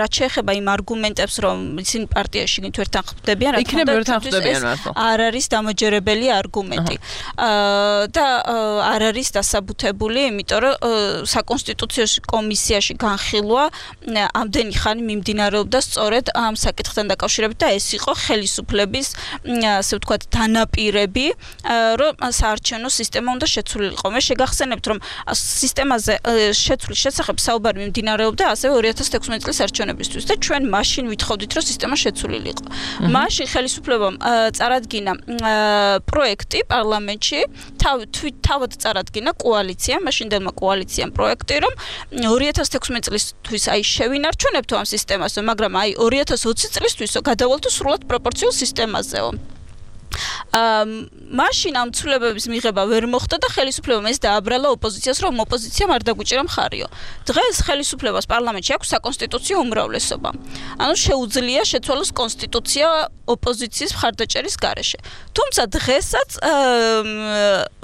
E: რაც შეეხება იმ არგუმენტებს, რომ ისინი პარტიაში ვერ თანხმდებიან, რა თქმა უნდა, არ არის დამაჯერებელი არგუმენტი. და არ არის დასაბუთებული, იმიტომ რომ საკონსტიტუციო კომისიაში განხილვა ამდენი ხანი მიმდინარეობდა სწორედ ამ საკითხთან დაკავშირებით და ეს იყო ხელისუფლების, ასე ვთქვათ, დანაპირები, რომ საარჩევნო სისტემა უნდა შეცვლილიყო. მე შეგახსენებთ, რომ სისტემაზე შეცვლის შესახებ საუბარი მიმდინარეობდა ასევე 2016 წლის არჩევნებისთვის და ჩვენ მაშინ ვითხოვდით, რომ სისტემა შეცვლილიყო. მაშინ ხელისუფლებამ წარადგინა პროექტი პარლამენტში, თავად წარადგინა კოალიცია, მაშინდელმა კოალიციამ პროექტი, რომ 2016 წლისთვის აი შევინარჩუნებთ ამ სისტემას, მაგრამ აი 2020 წლისთვისო გადავალთ სრულად პროპორციულ სისტემაზეო. მაშინ ამ ცვლილებების მიღება ვერ მოხდა და ხელისუფლებამ ეს დააბრალა ოპოზიციას, რომ ოპოზიციამ არ დაგუჭირა მხარიო. დღეს ხელისუფლებას პარლამენტში აქვს საკონსტიტუციო უმრავლესობა. ანუ შეუძლია შეცვალოს კონსტიტუცია ოპოზიციის მხარდაჭერის გარეშე. თუმცა დღესაც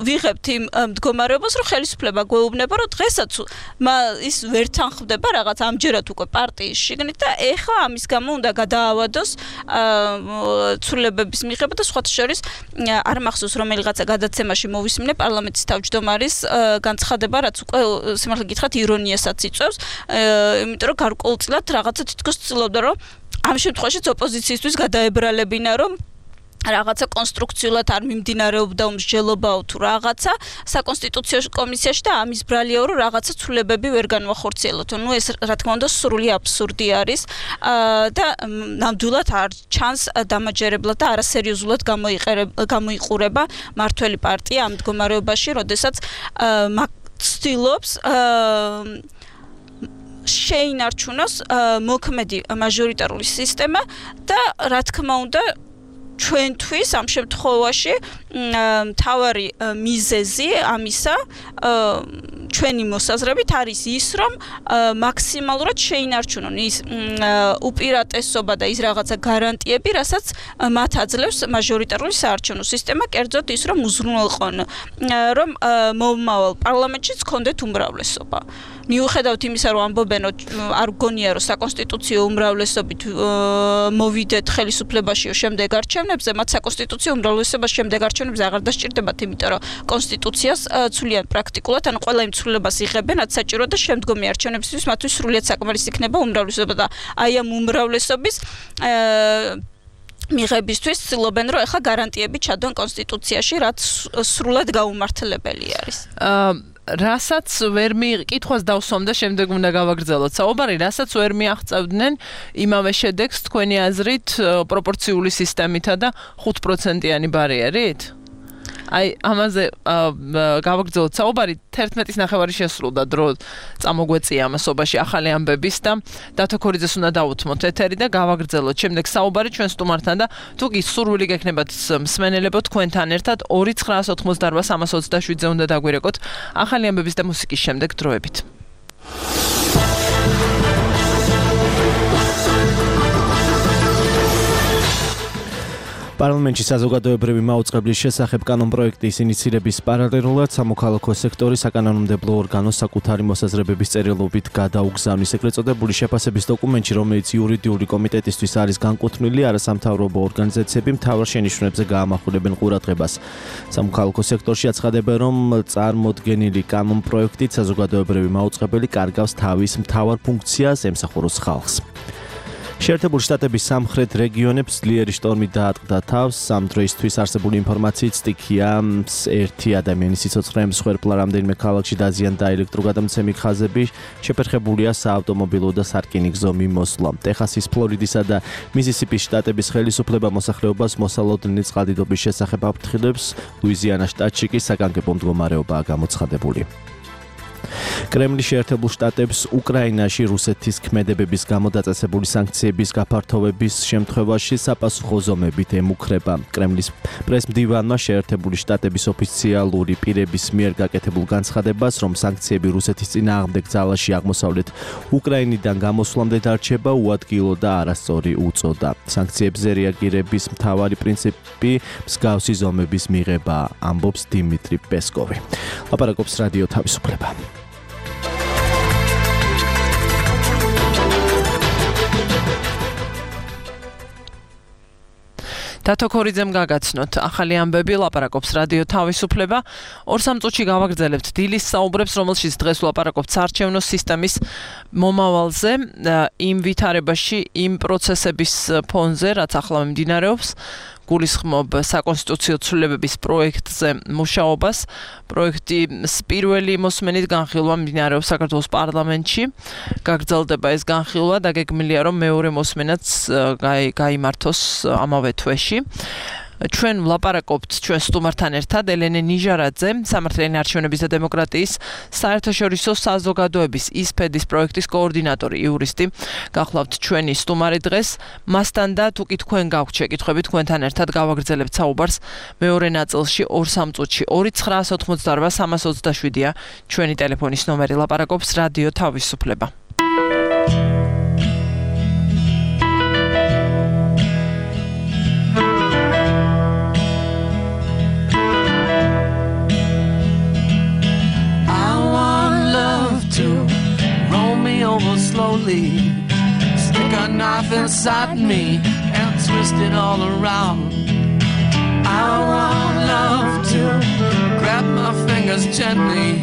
E: ვიღებთ იმ მდგომარეობას, რომ ხელისუფლება გვეუბნება, რომ დღესაც ის ვერ თანხმდება რაღაც ამჯერად უკვე პარტიის შიგნით და ეხლა ამის გამო უნდა გადაავადოს ცვლილებების მიღება და სხვათა შორის არ მახსოვს რომელიღაცა გადაცემაში მოვისმინე პარლამენტის თავმჯდომარის განცხადება, რაც უკვე სიმართლე გითხრათ ირონიასაც იწვევს, იმიტომ რომ გარკვეულწილად რაღაცა თითქოს ცდილობდა, რომ ამ შემთხვევაშიც ოპოზიციისთვის გადაებრალებინა, რომ რაღაცა კონსტრუქციულად არ მიმდინარეობდა მსჯელობაო თუ რაღაცა საკონსტიტუციო კომისიაში და ამის ბრალიაო, რომ რაღაცა ცვლილებები ვერ განვახორციელოთ. ნუ ეს რა თქმა უნდა სრული აბსურდი არის და ნამდვილად არ ჩანს დამაჯერებლად და არასერიოზულად გამოიყურება მმართველი პარტია ამ მდგომარეობაში, როდესაც ცდილობს შეინარჩუნოს მოქმედი მაჟორიტარული სისტემა და რა თქმა უნდა ჩვენთვის ამ შემთხვევაში მთავარი მიზეზი ამისა ჩვენი მოსაზრებით არის ის, რომ მაქსიმალურად შეინარჩუნონ ის უპირატესობა და ის რაღაცა გარანტიები, რასაც მათ აძლევს მაჟორიტარული საარჩევნო სისტემა, კერძოდ ის, რომ უზრუნველყონ, რომ მომავალ პარლამენტშიც ჰქონდეთ უმრავლესობა. მიუხედავად იმისა, რომ ამბობენ, რომ არ გონია, რომ საკონსტიტუციო უმრავლესობით მოვიდეთ ხელისუფლებაში შემდეგ არჩევნებზე, მათ საკონსტიტუციო უმრავლესობაში შემდეგ არჩევნებზე აღარ დასჭირდებათ, იმიტომ რომ კონსტიტუციას ცვლიან პრაქტიკულად, ან ყველა იმ ცვლილებას იღებენ, რაც საჭირო და შემდგომი არჩევნებისთვის მათთვის სრულიად საკმარისი იქნება უმრავლესობა და აი ამ უმრავლესობის მიღებისთვის ცდილობენ, რომ ეხლა გარანტიები ჩადონ კონსტიტუციაში, რაც სრულად გაუმართლებელი არის.
A: რასაც ვერ კითხვას დავსვამ და შემდეგ უნდა გავაგრძელოთ. საუბარი, რასაც ვერ მიაღწევდნენ იმავე შედეგს თქვენი აზრით პროპორციული სისტემითა და 5%-იანი ბარიერით? აი, ამაზე გავაგრძელოთ საუბარი. 11-ის ნახევარი შესრულდა დრო წამოგვეწია ამასობაში ახალი ამბების და დათო ქორიძეს უნდა დავუთმოთ ეთერი და გავაგრძელოთ შემდეგ საუბარი ჩვენ სტუმართან და თუ კი სურვილი გექნებათ მსმენელებო თქვენთან ერთად 2988327-ზე უნდა დაგვირეკოთ ახალი ამბების და მუსიკის შემდეგ დროებით.
C: პარლამენტში საზოგადოებრივი მაუწყებლის შესახებ კანონპროექტის ინიცირების პარალელურად სამოქალაქო სექტორი საკანონმდებლო ორგანოს საკუთარი მოსაზრებების წერილობით გადაუგზავნის ეგრეთ წოდებული შეფასების დოკუმენტში, რომელიც იურიდიული კომიტეტისთვის არის განკუთვნილი, არასამთავრობო ორგანიზაციები მთავარ შენიშვნებზე გაამახვილებენ ყურადღებას. სამოქალაქო სექტორში აცხადებენ, რომ წარმოდგენილი კანონპროექტით საზოგადოებრივი მაუწყებელი კარგავს თავის მთავარ ფუნქციას, ემსახუროს ხალხს. შეერთებული შტატების სამხრეთ რეგიონებს ძლიერი შტორმი დაატყდა თავს. ამ დროისთვის არსებული ინფორმაციით სტიქია ერთი ადამიანის სიცოცხლე მსხვერპლა რამდენიმე ქალაქში დაზიანდა ელექტროგადამცემი ხაზები, შეფერხებულია საავტომობილო და სარკინიგზო მიმოსვლა. ტეხასის, ფლორიდისა და მისისიპის შტატების ხელისუფლება მოსახლეობას მოსალოდნელი წყალდიდობის შესახებ აფრთხილებს. ლუიზიანას შტატში კი საგანგებო მდგომარეობაა გამოცხადებული. კრემლი შეერთებულ შტატებს უკრაინაში რუსეთის ქმედებების გამო დაწესებული სანქციების გაფართოვების შემთხვევაში საპასუხო ზომებით ემუქრება. კრემლის პრესმდივანმა შეერთებული შტატების ოფიციალური პირების მიერ გაკეთებულ განცხადებას, რომ სანქციები რუსეთის წინააღმდეგ ძალაში აღმოსავლეთ უკრაინიდან გამოსვლამდე დარჩება, უადგილო და არასწორი უწოდა. სანქციებზე რეაგირების მთავარი პრინციპი მსგავსი ზომების მიღებაა, ამბობს დიმიტრი პესკოვი. ლაპარაკობს რადიო თავისუფლება. დათო ქორიძემ გაგაცნოთ ახალი ამბები, ლაპარაკობს რადიო თავისუფლება. 2-3 წუთში გავაგრძელებთ დილის საუბრებს, რომელშიც დღეს ვლაპარაკობთ საარჩევნო სისტემის მომავალზე, იმ ვითარებაში, იმ პროცესების ფონზე, რაც ახლა მიმდინარეობს. გულისხმობ საკონსტიტუციო ცვლილებების პროექტზე მუშაობას. პროექტის პირველი მოსმენით განხილვა მიმდინარეობს საქართველოს პარლამენტში. გაგრძელდება ეს განხილვა და გეგმილია, რომ მეორე მოსმენაც გაიმართოს ამავე თვეში. ჩვენ ვლაპარაკობთ ჩვენ სტუმართან ერთად ელენე ნიჟარაძე, სამართლიანი არჩევნების და დემოკრატიის საერთაშორისო საზოგადოების ისფედის პროექტის კოორდინატორი, იურისტი. გახლავთ ჩვენი სტუმარი დღეს. მასთან და თუ კი თქვენ გაქვთ შეკითხვები, თქვენთან ერთად გავაგრძელებთ საუბარს მეორე ნაწილში 2-3 წუთში. 2988327-ია ჩვენი ტელეფონის ნომერი. ლაპარაკობს რადიო თავისუფლება.
M: Over slowly, stick a knife inside me and twist it all around. I want love to grab my fingers gently,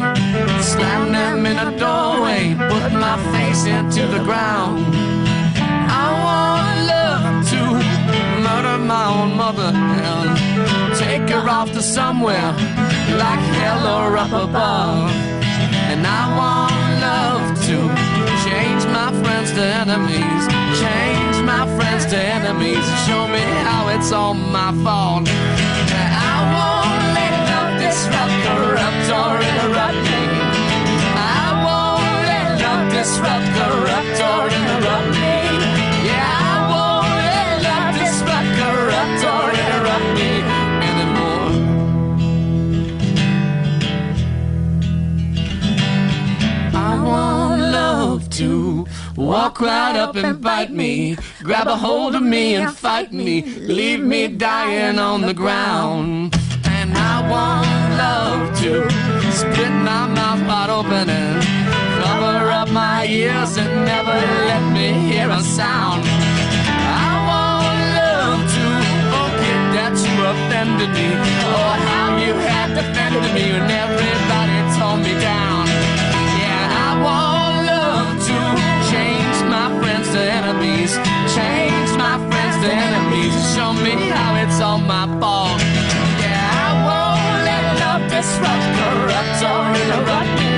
M: slam them in a doorway, put my face into the ground. I want love to murder my own mother and take her off to somewhere like hell or up above. And I want love to change my friends to enemies, change my friends to enemies, show me how it's all my fault. I won't let love disrupt, corrupt or interrupt me. I won't let love disrupt, corrupt or interrupt me. Yeah, I won't let love disrupt, corrupt or interrupt me anymore. I want love to walk right up and bite me, grab a hold of me and fight me, leave me dying on the ground. And I want love to split my mouth wide open and cover up my ears and never let me hear a sound. I want love to forget that you offended me. Oh, how you had defended me when everybody tore me down. Yeah, I want love to change my friends to enemies. Change my friends to enemies. Show me how it's all my fault. Yeah, I won't let love disrupt, corrupt, or interrupt me.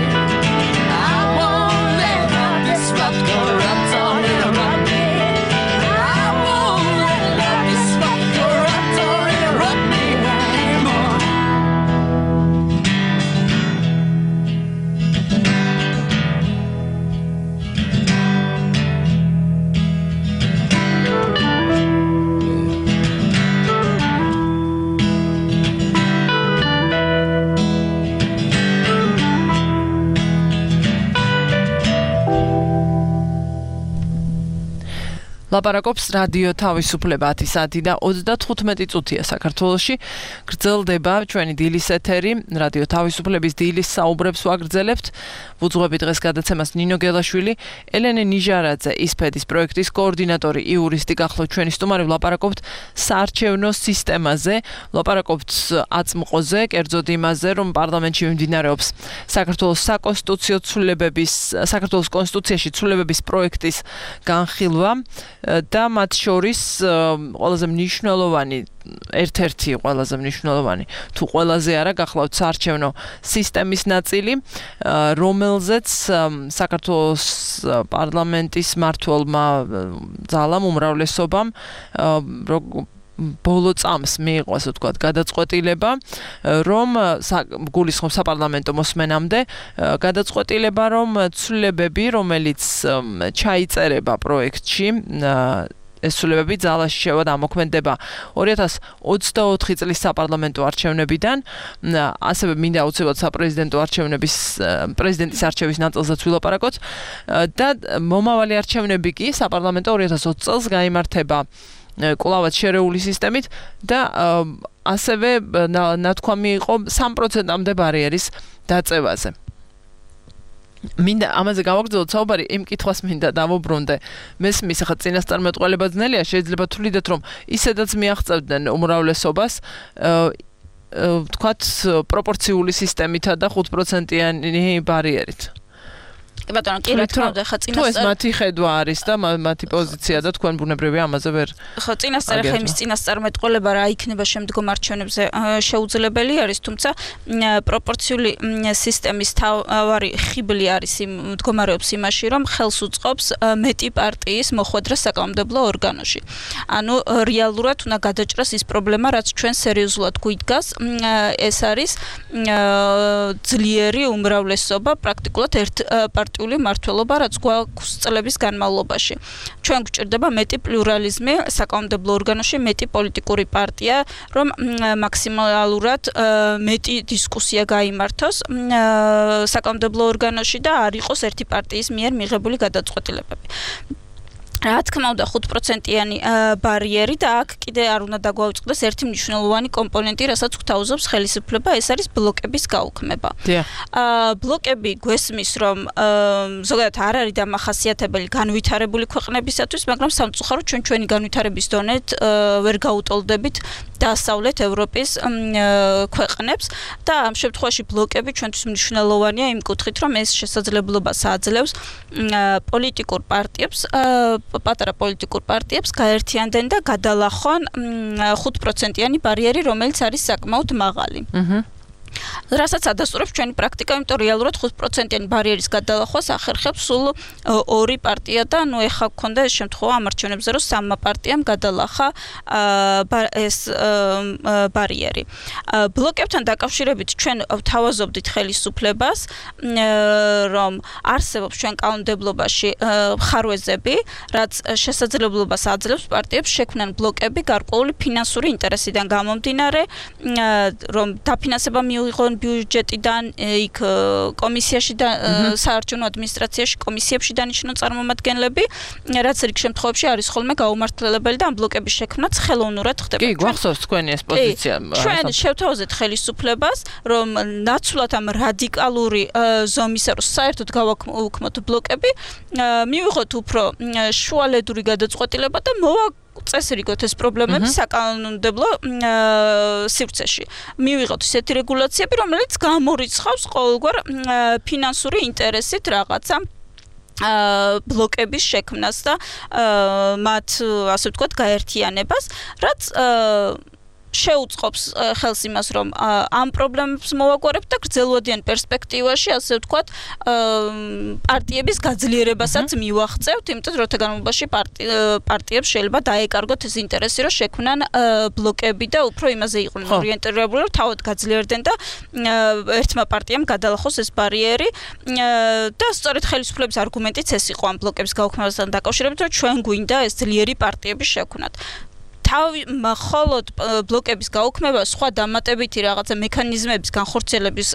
M: I won't let love disrupt, corrupt, or interrupt me. I won't let love disrupt, corrupt, or interrupt me anymore.
A: ლაპარაკობს რადიო თავისუფლება 10 საათი და 35 წუთია საქართველოში. გრძელდება ჩვენი დილის ეთერი, რადიო თავისუფლების დილის საუბრებს ვაგრძელებთ. ვუძღვებით დღეს გადაცემას ნინო გელაშვილი, ელენე ნიჟარაძე, ისფედის პროექტის კოორდინატორი, იურისტი გახლავთ ჩვენი სტუმარი. ვლაპარაკობთ საარჩევნო სისტემაზე, ვლაპარაკობთ აწმყოზე, კერძოდ იმაზე, რომ პარლამენტში მიმდინარეობს საქართველოს საკონსტიტუციო ცვლილებების, საქართველოს კონსტიტუციაში ცვლილებების პროექტის განხილვა. და მათ შორის ყველაზე მნიშვნელოვანი ერთ-ერთი ყველაზე მნიშვნელოვანი თუ ყველაზე არა გახლავთ საარჩევნო სისტემის ნაწილი, რომელზეც საქართველოს პარლამენტის მმართველმა ძალამ უმრავლესობამ ბოლო წამს მიიღო, ასე ვთქვათ, გადაწყვეტილება, რომ გულისხმობს საპარლამენტო მოსმენამდე, გადაწყვეტილება, რომ ცვლილებები, რომელიც ჩაიწერება პროექტში, ეს ცვლილებები ძალაში შევა და ამოქმედება 2024 წლის საპარლამენტო არჩევნებიდან, ასევე მინდა აუცილებლად საპრეზიდენტო არჩევნების პრეზიდენტის არჩევის ნაწილზეც ვილაპარაკოთ და მომავალი არჩევნები კი საპარლამენტო 2020 წელს გაიმართება კვლავაც შერეული სისტემით და ასევე ნათქვამი იყო 3%-მდე ბარიერის დაწევაზე. მინდა ამაზე გავაგრძელოთ საუბარი, იმ კითხვას მინდა დავუბრუნდე. მესმის ახლა წინასწარმეტყველება ძნელია, შეიძლება თვლიდეთ, რომ ისედაც მიაღწევდნენ უმრავლესობას, ვთქვათ, პროპორციული სისტემითა და 5%-იანი ბარიერით.
E: კი ბატონო, კი რა თქმა უნდა, ხა
A: თუ ეს მათი ხედვა არის და მათი პოზიცია და თქვენ ბუნებრივია ამაზე ვერ.
E: ხო, წინასწარ ხა იმის წინასწარმეტყველება რა იქნება შემდგომ არჩევნებზე შეუძლებელი არის, თუმცა პროპორციული სისტემის თავარი ხიბლი არის მდგომარეობს იმაში, რომ ხელს უწყობს მეტი პარტიის მოხვედრა საკანონმდებლო ორგანოში. ანუ რეალურად უნდა გადაჭრას ის პრობლემა, რაც ჩვენ სერიოზულად გვიდგას, ეს არის ძლიერი უმრავლესობა, პრაქტიკულად ერთ პარტიული მმართველობა, რაც გვაქვს წლების განმავლობაში. ჩვენ გვჭირდება მეტი პლურალიზმი საკანონმდებლო ორგანოში, მეტი პოლიტიკური პარტია, რომ მაქსიმალურად მეტი დისკუსია გაიმართოს საკანონმდებლო ორგანოში და არ იყოს ერთი პარტიის მიერ მიღებული გადაწყვეტილებები. რა თქმა უნდა 5%-იანი ბარიერი და აქ კიდე არ უნდა დაგვაუწყდეს ერთი მნიშვნელოვანი კომპონენტი, რასაც გვთავაზობს ხელისუფლება, ეს არის ბლოკების გაუქმება. ბლოკები გვესმის, რომ ზოგადად არ არის დამახასიათებელი განვითარებული ქვეყნებისათვის, მაგრამ სამწუხაროდ ჩვენი განვითარების დონეთ ვერ გაუტოლდებით დასავლეთ ევროპის ქვეყნებს და ამ შემთხვევაში ბლოკები ჩვენთვის მნიშვნელოვანია იმ კუთხით, რომ ეს შესაძლებლობას აძლევს პოლიტიკურ პარტიებს პატარა პოლიტიკურ პარტიებს გაერთიანდნენ და გადალახვან 5%-იანი ბარიერი, რომელიც არის საკმაოდ მაღალი. რასაც ადასტურებს ჩვენი პრაქტიკა, იმიტომ რეალურად 5%-იანი ბარიერის გადალახვას ახერხებს სულ ორი პარტია და ნუ ეხლა გქონდა ეს შემთხვევა ამ არჩევნებზე, რომ სამმა პარტიამ გადალახა ეს ბარიერი. ბლოკებთან დაკავშირებით ჩვენ ვთავაზობდით ხელისუფლებას, რომ არსებობს ჩვენ კანონმდებლობაში ხარვეზები, რაც შესაძლებლობას აძლევს პარტიებს შექმნან ბლოკები გარკვეული ფინანსური ინტერესიდან გამომდინარე, რომ დაფინანსება მიიღონ ბიუჯეტიდან, იქ კომისიაში და საარჩევნო ადმინისტრაციაში კომისიებში დანიშნონ წარმომადგენლები, რაც რიგ შემთხვევებში არის ხოლმე გაუმართლებელი და ამ ბლოკების შექმნაც ხელოვნურად ხდება.
A: კი, გვახსოვს თქვენი ეს პოზიცია.
E: ჩვენ შევთავაზეთ ხელისუფლებას, რომ ნაცვლად ამ რადიკალური ზომისა, რომ საერთოდ გავაუქმოთ ბლოკები, მივიღოთ უფრო შუალედური გადაწყვეტილება და წესრიგოთ ეს პრობლემები საკანონმდებლო სივრცეში. მივიღოთ ისეთი რეგულაციები, რომელიც გამორიცხავს ყოველგვარ ფინანსური ინტერესით რაღაცა ბლოკების შექმნას და მათ ასე ვთქვათ გაერთიანებას, რაც შეუწყობს ხელს იმას, რომ ამ პრობლემებს მოვაგვარებთ და გრძელვადიან პერსპექტივაში, ასე ვთქვათ, პარტიების გაძლიერებასაც მივახცევთ, იმიტომ რომ განმავლობაში პარტიებს შეიძლება დაეკარგოთ ეს ინტერესი, რომ შექმნან ბლოკები და უფრო იმაზე იყვნენ ორიენტირებული, რომ თავად გაძლიერდნენ და ერთმა პარტიამ გადალახოს ეს ბარიერი და სწორედ ხელისუფლების არგუმენტიც ეს იყო ამ ბლოკების გაუქმებასთან დაკავშირებით, რომ ჩვენ გვინდა ეს ძლიერი პარტიების შექმნათ. მხოლოდ ბლოკების გაუქმება სხვა დამატებითი რაღაცა მექანიზმების განხორციელების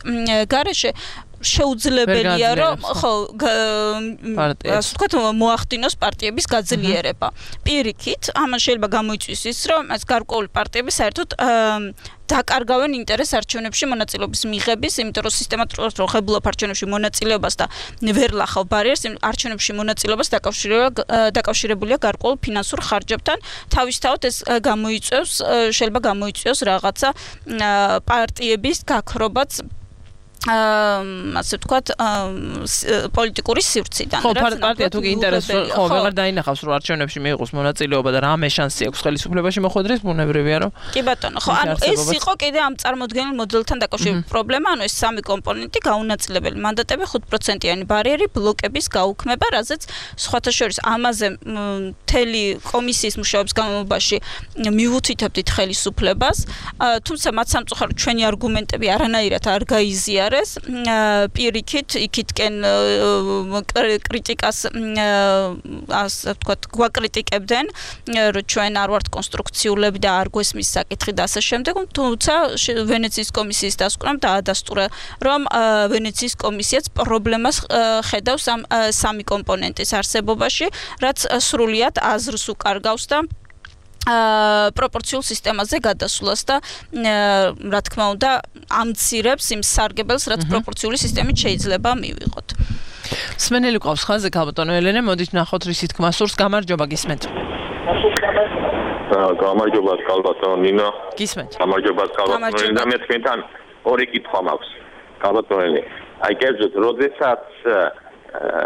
E: გარეშე შეუძლებელია, რომ ასე ვთქვათ, მოახდინოს პარტიების გაძლიერება. პირიქით, ამან შეიძლება გამოიწვიოს ის, რომ ეს გარკვეული პარტიები საერთოდ დაკარგავენ ინტერესს არჩევნებში მონაწილეობის მიღების, იმიტომ რომ სისტემატურად როხებულობ არჩევნებში მონაწილეობას და ვერ ლახავ ბარიერს, არჩევნებში მონაწილეობას დაკავშირებულია გარკვეულ ფინანსურ ხარჯებთან. თავისთავად ეს შეიძლება გამოიწვიოს რაღაცა პარტიების გაქრობაც ასე ვთქვათ, პოლიტიკური სივრციდან.
A: ხო, პარტია თუ ინტერესს ხო ვეღარ დაინახავს, რომ არჩევნებში მიიღოს მონაწილეობა და რამე შანსი აქვს ხელისუფლებაში მოხვედრის, ბუნებრივია, რომ
E: კი ბატონო, ხო, ანუ ეს იყო კიდე ამ წარმოდგენილ მოდელთან დაკავშირებული პრობლემა, ანუ ეს სამი კომპონენტი გაუნაწილებელი მანდატები, 5%-იანი ბარიერი, ბლოკების გაუქმება, რაზეც სხვათა შორის ამაზე მთელი კომისიის მუშაობის განმავლობაში მივუთითებდით ხელისუფლებას, თუმცა მათ სამწუხაროდ ჩვენი არგუმენტები არანაირად არ გაიზიარეს. პირიქით, იქითკენ კრიტიკას ასე ვთქვათ, გვაკრიტიკებდნენ, რომ ჩვენ არ ვართ კონსტრუქციულები და არ გვესმის საკითხი და ასე შემდეგ, თუმცა ვენეციის კომისიის დასკვნამ დაადასტურა, რომ ვენეციის კომისიაც პრობლემას ხედავს ამ სამი კომპონენტის არსებობაში, რაც სრულიად აზრს უკარგავს და პროპორციულ სისტემაზე გადასვლას და რა თქმა უნდა ამცირებს იმ სარგებელს, რაც პროპორციული სისტემით შეიძლება მივიღოთ.
A: სმენელი ყავს ხაზზე ქალბატონო ელენე, მოდით ნახოთ რისი თქმა სურს. გამარჯობა, გისმენთ.
N: გამარჯობა ქალბატონო ნინო.
A: გისმენთ.
N: გამარჯობა ქალბატონო ნინო, მე თქვენთან ორი კითხვა მაქვს. ქალბატონო ელენე, აი გეძოთ, როდესაც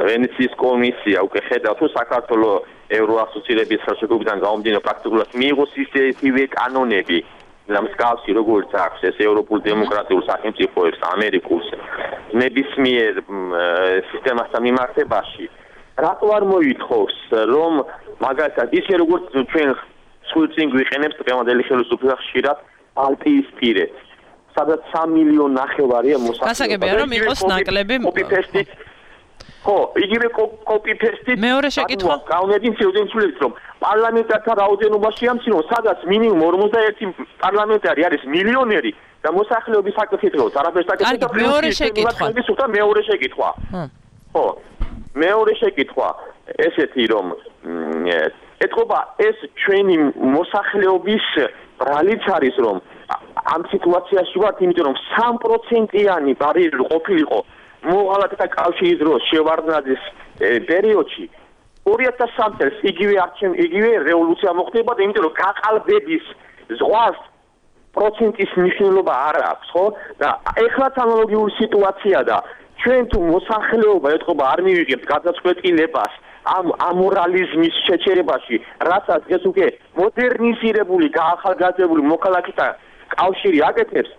N: ვენეციის კომისია უკვე ხედავ თუ საქართველოს ევროასოცირების ხელშეკრულებიდან გამომდინარე პრაქტიკულად მიიღოს ისეთივე კანონები და მსგავსი როგორც აქვს ეს ევროპულ დემოკრატიულ სახელმწიფოებს ამერიკულს ნებისმიერ სისტემასთან მიმართებაში რატო არ მოითხოვს რომ მაგალითად ისე როგორც ჩვენ სულწინ გვიყენებს დღევანდელი ხელისუფლება ხშირად ბალტიის პირეთ სადაც 3 მილიონი ნახევარია მოსახლეობა
A: გასაგებია რომ იყოს ნაკლები
N: ხო, იგივე კოპი-პესტით
A: მეორე შეკითხვა
N: გაუნედინს შეუძენს რომ პარლამენტართა რაოდენობაში ამცინო, სადაც მინიმუმ 41 პარლამენტარი არის მილიონერი და მოსახლეობის საკითხებს არაფერს აკეთებს.
A: მეორე შეკითხვა.
N: მეორე შეკითხვა. ხო. მეორე შეკითხვა ესეთი რომ ეთქობა ეს ჩვენი მოსახლეობის ბრალიც არის რომ ამ სიტუაციაში ვართ, იმიტომ რომ 3%-იანი ბარიერი ყოფილიყო მოღალატეთა კავშირის დროს შევარდნაძის პერიოდში 2003 წელს იგივე რევოლუცია მოხდება და იმიტომ რომ გაყალბების ზღვას პროცენტის მნიშვნელობა არ აქვს, ხო? და ეხლაც ანალოგიური სიტუაცია და ჩვენ თუ მოსახლეობა ეთქობა არ მივიღებთ გადაწყვეტილებას ამ ამორალიზმის შეჩერებაში, რასაც ეს უკვე მოდერნიზირებული, გაახალგაზრდებული მოქალაქეთა კავშირი აკეთებს,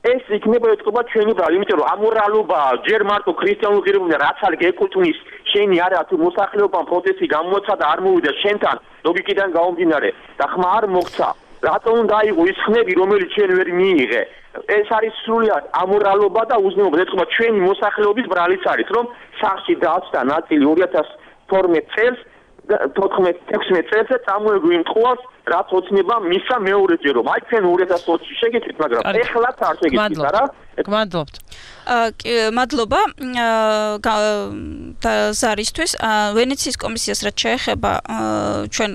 N: ეს იქნება ეთქობა ჩვენი ბრალი, იმიტომ რომ ამორალობა ჯერ მარტო ქრისტიანულ ღირებულზე რაც არ გეკუთვნის, შენი არა თუ მოსახლეობამ პროტესტი გამოაცხადა და არ მოვიდა შენთან ლოგიკიდან გამომდინარე და ხმა არ მოხდა. რატომ უნდა აიღო ის ხმები, რომელიც ჩვენ ვერ მიიღე? ეს არის სრულიად ამორალობა და უზნეობა. ეთქობა ჩვენი მოსახლეობის ბრალიც არის, რომ სახში დააწყდა ნაწილი 2012 წელს 14-16 წელს წამოეგვიმტყუავს რაც ოცნება მისა მეორეჯერ რომ აი თქვენ 2020-ში შეგიძლიათ მაგრამ ეხლაც არ შეგიძლიათ არა
A: გმადლობთ
E: მადლობა ზარისთვის ვენეციის კომისიას რაც შეეხება ჩვენ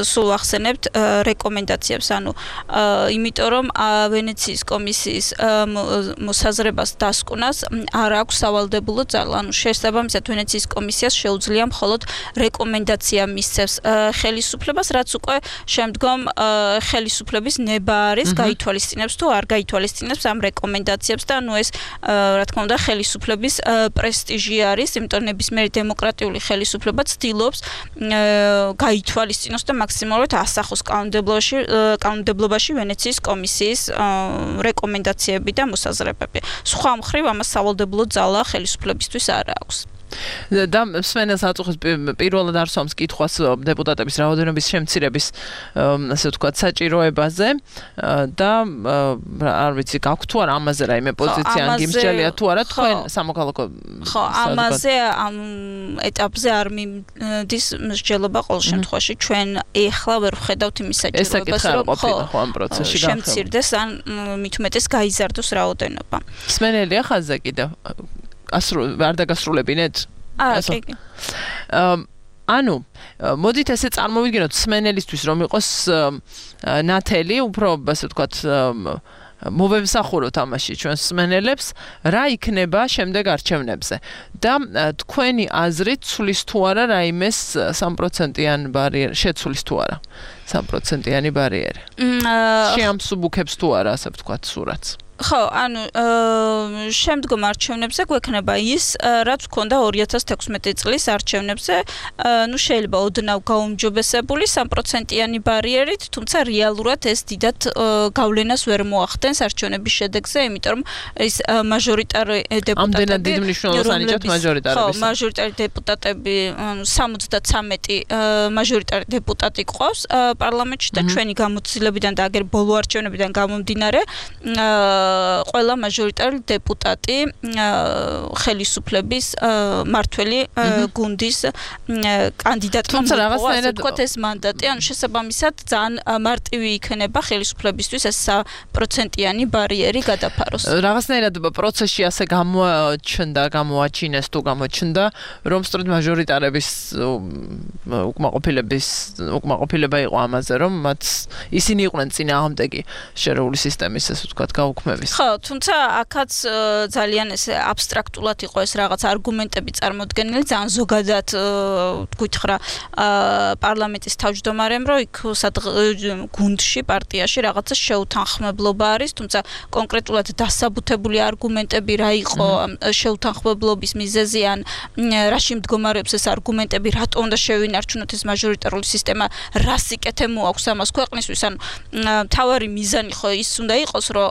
E: სულ ახსენებთ რეკომენდაციებს ანუ იმიტომ რომ ვენეციის კომისიის მოსაზრებას დასკვნას არ აქვს სავალდებულო ძალა ანუ შესაბამისად ვენეციის კომისიას შეუძლია მხოლოდ რეკომენდაცია მისცემს ხელისუფლებას რაც უკვე შემდგომ ხელისუფლების ნება არის გაითვალისწინებს თუ არ გაითვალისწინებს ამ რეკომენდაციებს და ანუ ეს რა თქმა უნდა ხელისუფლების პრესტიჟი არის, იმიტომ ნებისმიერი დემოკრატიული ხელისუფლება ცდილობს გაითვალისწინოს და მაქსიმალურად ასახოს კანონმდებლობაში ვენეციის კომისიის რეკომენდაციები და მოსაზრებები. სხვა მხრივ ამას სავალდებულო ძალა ხელისუფლებისთვის არ აქვს.
A: და სვენელს აწუხებს პირველად არ სვამს კითხვას დეპუტატების რაოდენობის შემცირების ასე ვთქვათ საჭიროებაზე და არ ვიცი გაქვთ თუ არა ამაზე რაიმე პოზიცია გიმსჯელია თუ არა თქვენ სამოქალაქო
E: ხო ამაზე ამ ეტაპზე არ მიდის მსჯელობა ყოველ შემთხვევაში ჩვენ ეხლა ვერ ვხედავთ იმის საჭიროებას რომ
A: ხო ამ პროცესში
E: შემცირდეს ან მით უმეტეს გაიზარდოს რაოდენობა
A: სვენელია ხაზზე კიდევ არ დაგასრულებინეთ?
E: კი.
A: ანუ მოდით ესე წარმოვიდგინოთ სმენელისთვის რომ იყოს ნათელი უფრო ასე ვთქვათ მოვემსახუროთ ამაში ჩვენ სმენელებს რა იქნება შემდეგ არჩევნებზე და თქვენი აზრით ცulis თუ არა რაიმეს 3%-იან ბარიერი შეცulis თუ არა 3%-იანი ბარიერი შეამსუბუქებს თუ არა ასე ვთქვათ სურათს
E: ხო, ანუ შემდგომ არჩევნებზე გვექნება ის, რაც გქონდა 2016 წლის არჩევნებზე, ну შეიძლება ოდნავ გაუმჯობესებული 3%-იანი ბარიერით, თუმცა რეალურად ეს დიდად გავლენას ვერ მოახდენს არჩევნების შედეგზე, იმიტომ რომ ის მაჟორიტარი დეპუტატები
A: ამდენად დიდ მნიშვნელობას ანიჭებთ მაჟორიტარების.
E: ხო, მაჟორიტარი დეპუტატები 73 მაჟორიტარი დეპუტატი ყავს პარლამენტში და ჩვენი გამოცდილებიდან და აგერ ბოლო არჩევნებიდან გამომდინარე ყველა მაჟორიტარი დეპუტატი ხელისუფლების მართველი გუნდის კანდიდატმა მოყვა ეს მანდატი, ანუ შესაბამისად ძალიან მარტივი იქნება ხელისუფლებისთვის ეს 3%-იანი ბარიერი გადაფაროს.
A: რაღაცნაირად პროცესში ასე გამოაჩინეს თუ გამოჩნდა, რომ სწორედ მაჟორიტარების უკმაყოფილება იყო ამაზე, რომ მათ ისინი იყვნენ წინააღმდეგი შერეული სისტემის ესე ვთქვათ გაუქმების.
E: ხო, თუმცა აქაც ძალიან ესე აბსტრაქტულად იყო ეს რაღაც არგუმენტები წარმოდგენილი, ძალიან ზოგადად გითხრა პარლამენტის თავმჯდომარემ, რომ იქ გუნდში, პარტიაში რაღაცა შეუთანხმებლობა არის, თუმცა კონკრეტულად დასაბუთებული არგუმენტები რა იყო შეუთანხმებლობის მიზეზი ან რაში მდგომარეობს ეს არგუმენტები, რატომ უნდა შევინარჩუნოთ ეს მაჟორიტარული სისტემა, რა სიკეთე მოაქვს ამას ქვეყნისთვის, ან მთავარი მიზანი ხო ის უნდა იყოს, რომ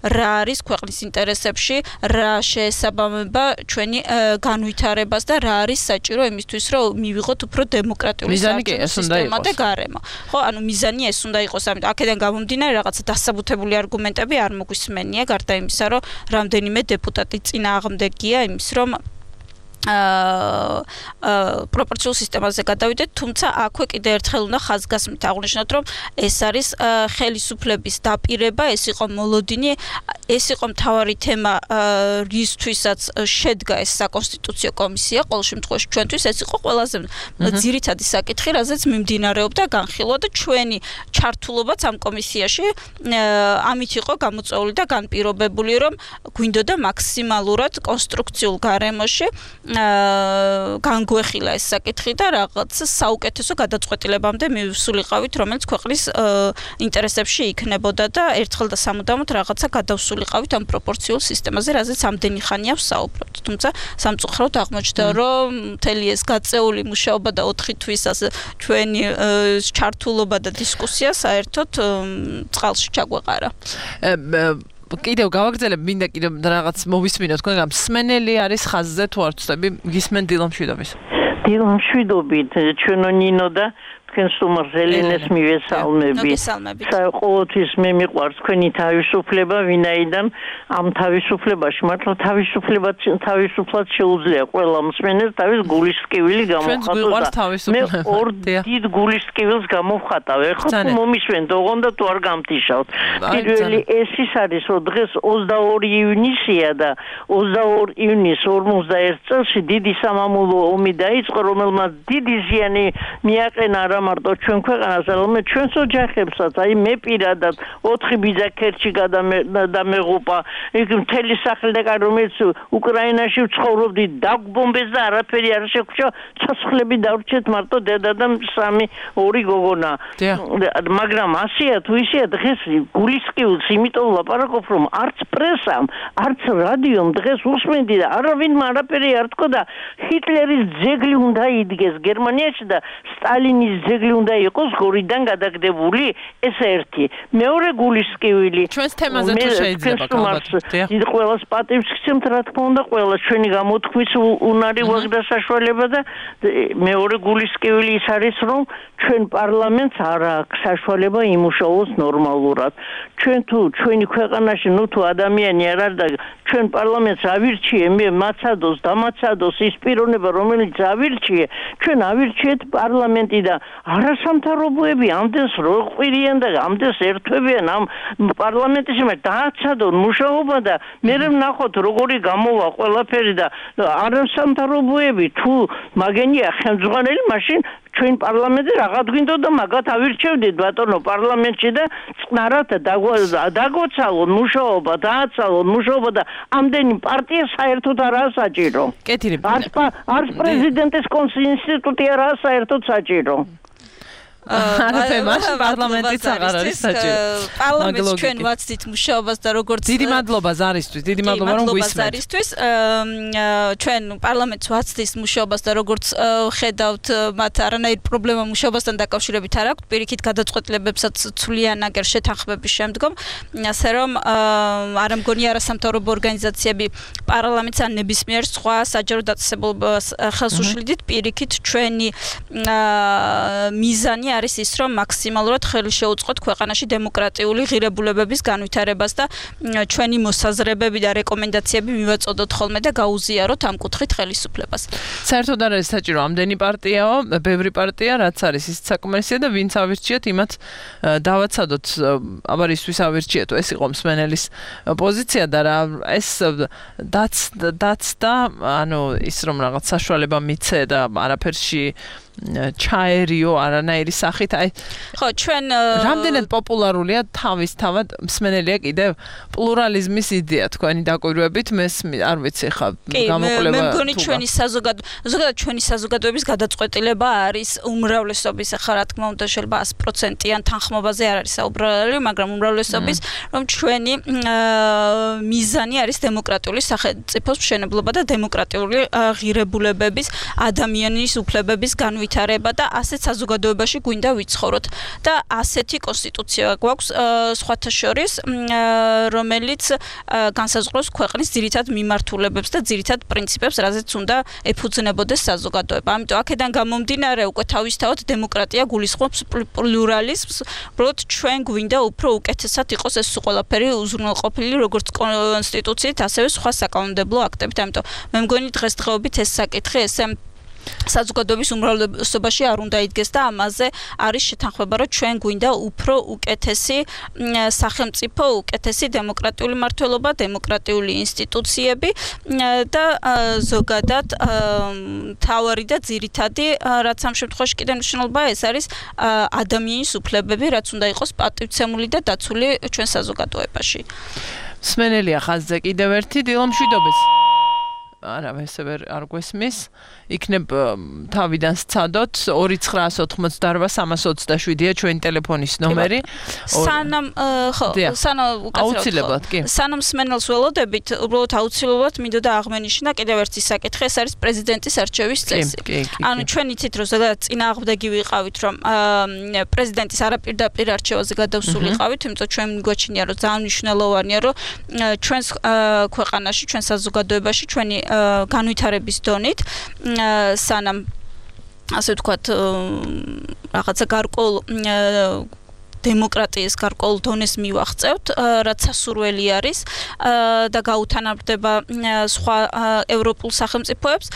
E: რა არის ქვეყნის ინტერესებში, რა შეესაბამება ჩვენი განვითარებას და რა არის საჭირო იმისთვის, რომ მივიღოთ უფრო დემოკრატიული სისტემა და გარემო. ხო, ანუ მიზანი ეს უნდა იყოს, ამიტომ აქედან გამომდინარე რაღაცა დასაბუთებული არგუმენტები არ მოგვისმენია, გარდა იმისა, რომ რამდენიმე დეპუტატი წინააღმდეგია იმის, რომ პროპორციულ სისტემაზე გადავიდეთ, თუმცა აქვე კიდევ ერთხელ უნდა ხაზგასმით აღვნიშნოთ, რომ ეს არის ხელისუფლების დაპირება, ეს იყო მოლოდინი, ეს იყო მთავარი თემა, რისთვისაც შედგა ეს საკონსტიტუციო კომისია, ყოველ შემთხვევაში ჩვენთვის ეს იყო ყველაზე ძირითადი საკითხი, რაზეც მიმდინარეობდა განხილვა და ჩვენი ჩართულობაც ამ კომისიაში ამით იყო გამოწვეული და განპირობებული, რომ გვინდოდა მაქსიმალურად კონსტრუქციულ გარემოში განგვეხილა ეს საკითხი და რაღაც საუკეთესო გადაწყვეტილებამდე მივსულიყავით, რომელიც ქვეყნის ინტერესებში იქნებოდა და ერთხელ და სამუდამოდ რაღაცა გადავსულიყავით ამ პროპორციულ სისტემაზე, რაზეც ამდენი ხანია ვსაუბრობთ. თუმცა სამწუხაროდ აღმოჩნდა, რომ მთელი ეს გაწეული მუშაობა და 4 თვის ასე ჩვენი ჩართულობა და დისკუსია საერთოდ წყალში ჩაგვეყარა.
A: კიდევ გავაგრძელებ, მინდა კიდევ რაღაც მოვისმინოთ თქვენ, სმენელი არის ხაზზე თუ არ ვწდები, გისმენ დილამშვიდობის.
O: დილამშვიდობით, ჩვენო ნინო და თქვენ სტუმარს ელენეს მივესალმები. ყოველთვის მე მიყვარს თქვენი თავისუფლება, ვინაიდან ამ თავისუფლებაში მართლა თავისუფლად შეუძლია ყველა მსმენელს თავის გულის ტკივილი გამოვხატოს. მე ორ დიდ გულის ტკივილს გამოვხატავ. ეხლა თუ მომისვენთ, ოღონდ თუ არ გამტიშავთ. პირველი ეს ის არის, რომ დღეს 22 ივნისია და 22 ივნის 41 წელს დიდი სამამულო ომი დაიწყო, რომელმაც დიდი ზიანი მიაყენა არა მარტო ჩვენ ქვეყანას, არამედ ჩვენს ოჯახებსაც. აი მე პირადად 4 ბიძა ქერჩი გადამეღუპა. იქ მთელი სახლი და რომელიც უკრაინაში ვცხოვრობდი, დაგვბომბეს და არაფერი არ შეგვჭა. ცოცხლები დავრჩეთ მარტო დედა და 2 გოგონა. მაგრამ ასია თუ ისია დღეს გულის ტკივილს იმიტომ ლაპარაკობ, რომ არც პრესამ, არც რადიომ დღეს უსმენდი და არავინმა არაფერი არ თქვა და ჰიტლერის ძეგლი უნდა იდგეს გერმანიაში და სტალინის ძეგლი უნდა იყოს გორიდან გადაგდებული. ეს ერთი. მეორე გულის ტკივილი.
A: ჩვენს თემაზე თუ შეიძლება
O: დიდ ყველას პატივს გცემთ, რა თქმა უნდა, ყველა ჩვენი გამოთქმის უნარი ვაქვს და საშუალება და მეორე გულის ტკივილი ის არის, რომ ჩვენ პარლამენტს არ აქვს საშუალება იმუშაოს ნორმალურად. ჩვენ თუ ჩვენი ქვეყანაში თუ ადამიანი არ არის და ჩვენ პარლამენტს ავირჩიე, მე მაცადოს, დამაცადოს ის პიროვნება, რომელიც ავირჩიე, ჩვენ ავირჩიეთ პარლამენტი და არასამთავრობოები ამდენს როყვირიან და ამდენს ერთვებიან ამ პარლამენტის მიმართ დააცადონ მუშაობა და მე ვნახოთ როგორი გამოვა ყველაფერი და არასამთავრობოები თუ მაგენია ხელმძღვანელი, მაშინ ჩვენ პარლამენტზე რაღაც გვინდოდა მაგათ ავირჩევდით ბატონო პარლამენტში და წნარად დაგვაცალონ მუშაობა, დააცალონ მუშაობა და ამდენი პარტია საერთოდ არაა საჭირო. არც პრეზიდენტის ინსტიტუტი არაა საერთოდ საჭირო.
A: არაფერმაშ პარლამენტიც აღარ არის საჭირო.
E: პარლამენტს ჩვენ ვაცდით მუშაობას და როგორც
A: დიდი მადლობა ზარისთვის, დიდი მადლობა რომ გვისმენთ.
E: ჩვენ პარლამენტს ვაცდით მუშაობას და როგორც ხედავთ, მათ არანაირი პრობლემა მუშაობასთან დაკავშირებით არ აქვს, პირიქით გადაწყვეტილებებსაც ცვლიან აგერ შეთანხმების შემდგომ, ასე რომ არ მგონი არასამთავრობო ორგანიზაციები პარლამენტს ან ნებისმიერ სხვა საჯარო დაწესებულებას ხელს უშლიდით, პირიქით ჩვენი მიზანი არის ის, რომ მაქსიმალურად ხელი შეუწყოთ ქვეყანაში დემოკრატიული ღირებულებების განვითარებას და ჩვენი მოსაზრებები და რეკომენდაციები მივაწოდოთ ხოლმე და გაუზიაროთ ამ კუთხით ხელისუფლებას.
A: საერთოდ არ არის საჭირო ამდენი პარტიაო, ბევრი პარტია, რაც არის ის საკმარისია და ვინც ავირჩიეთ, იმათ დავაცადოთ, აბარ ისთვის ავირჩიეთო, ეს იყო მსმენელის პოზიცია და რა ეს დაც და ანუ ის რომ რაღაც საშუალება მიცე და არაფერში ჩაერიო არანაირი სახით, აი
E: ხო ჩვენ
A: რამდენად პოპულარულია თავისთავად მსმენელია კიდევ პლურალიზმის იდეა თქვენი დაკვირვებით, მე არ ვიცი ხა
E: გამოკვლევა მე მგონი ჩვენი ზოგადად ჩვენი საზოგადოების გადაწყვეტილება არის უმრავლესობის, ხა რა თქმა უნდა შეიძლება 100%-იან თანხმობაზე არ არის საუბარი, მაგრამ უმრავლესობის რომ ჩვენი მიზანი არის დემოკრატიული სახელმწიფოს მშენებლობა და დემოკრატიული ღირებულებების, ადამიანის უფლებების განვითარება და ასეთ საზოგადოებაში გვინდა ვიცხოვროთ და ასეთი კონსტიტუცია გვაქვს სხვათა შორის, რომელიც განსაზღვრავს ქვეყნის ძირითად მიმართულებებს და ძირითად პრინციპებს, რაზეც უნდა ეფუძნებოდეს საზოგადოება. ამიტომ აქედან გამომდინარე უკვე თავისთავად დემოკრატია გულისხმობს პლურალიზმს, უბრალოდ ჩვენ გვინდა უფრო უკეთესად იყოს ეს ყველაფერი უზრუნველყოფილი როგორც კონსტიტუციით, ასევე სხვა საკანონმდებლო აქტებით. ამიტომ მე მგონი დღესდღეობით ეს საკითხი ესე საზოგადოების უმრავლესობაში არ უნდა იდგეს და ამაზე არის შეთანხმება, რომ ჩვენ გვინდა უფრო უკეთესი სახელმწიფო, უკეთესი დემოკრატიული მმართველობა, დემოკრატიული ინსტიტუციები და ზოგადად თავარი და ძირითადი, რაც ამ შემთხვევაში კიდევ მნიშვნელოვანია, ეს არის ადამიანის უფლებები, რაც უნდა იყოს პატივცემული და დაცული ჩვენ საზოგადოებაში.
A: მსმენელია ხაზზე კიდევ ერთი დილომშვიდობის. არა, ესე არ გვესმის. იქნებ თავიდან სცადოთ 2988327-ია ჩვენი ტელეფონის ნომერი.
E: სანამ
A: აუცილებლად კი.
E: სანამ მსმენელს ველოდებით, უბრალოდ აუცილებლად მინდოდა აღმენიშნა კიდევ ერთი საკითხი, ეს არის პრეზიდენტის არჩევის წესი. ანუ ჩვენ იცით, რომ ზოგადად წინააღმდეგი ვიყავით, რომ პრეზიდენტის არაპირდაპირ არჩევაზე გადავსულიყავით, იმიტომ ჩვენ გვაჩნია, რომ ძალიან მნიშვნელოვანია, რომ ჩვენს ქვეყანაში, ჩვენ საზოგადოებაში, ჩვენი განვითარების დონით სანამ ასე ვთქვათ, რაღაცა გარკვეულ დემოკრატიის გარკვეულ დონეს მივაღწევთ, რაც სასურველი არის და გაუთანაბრდება სხვა ევროპულ სახელმწიფოებს,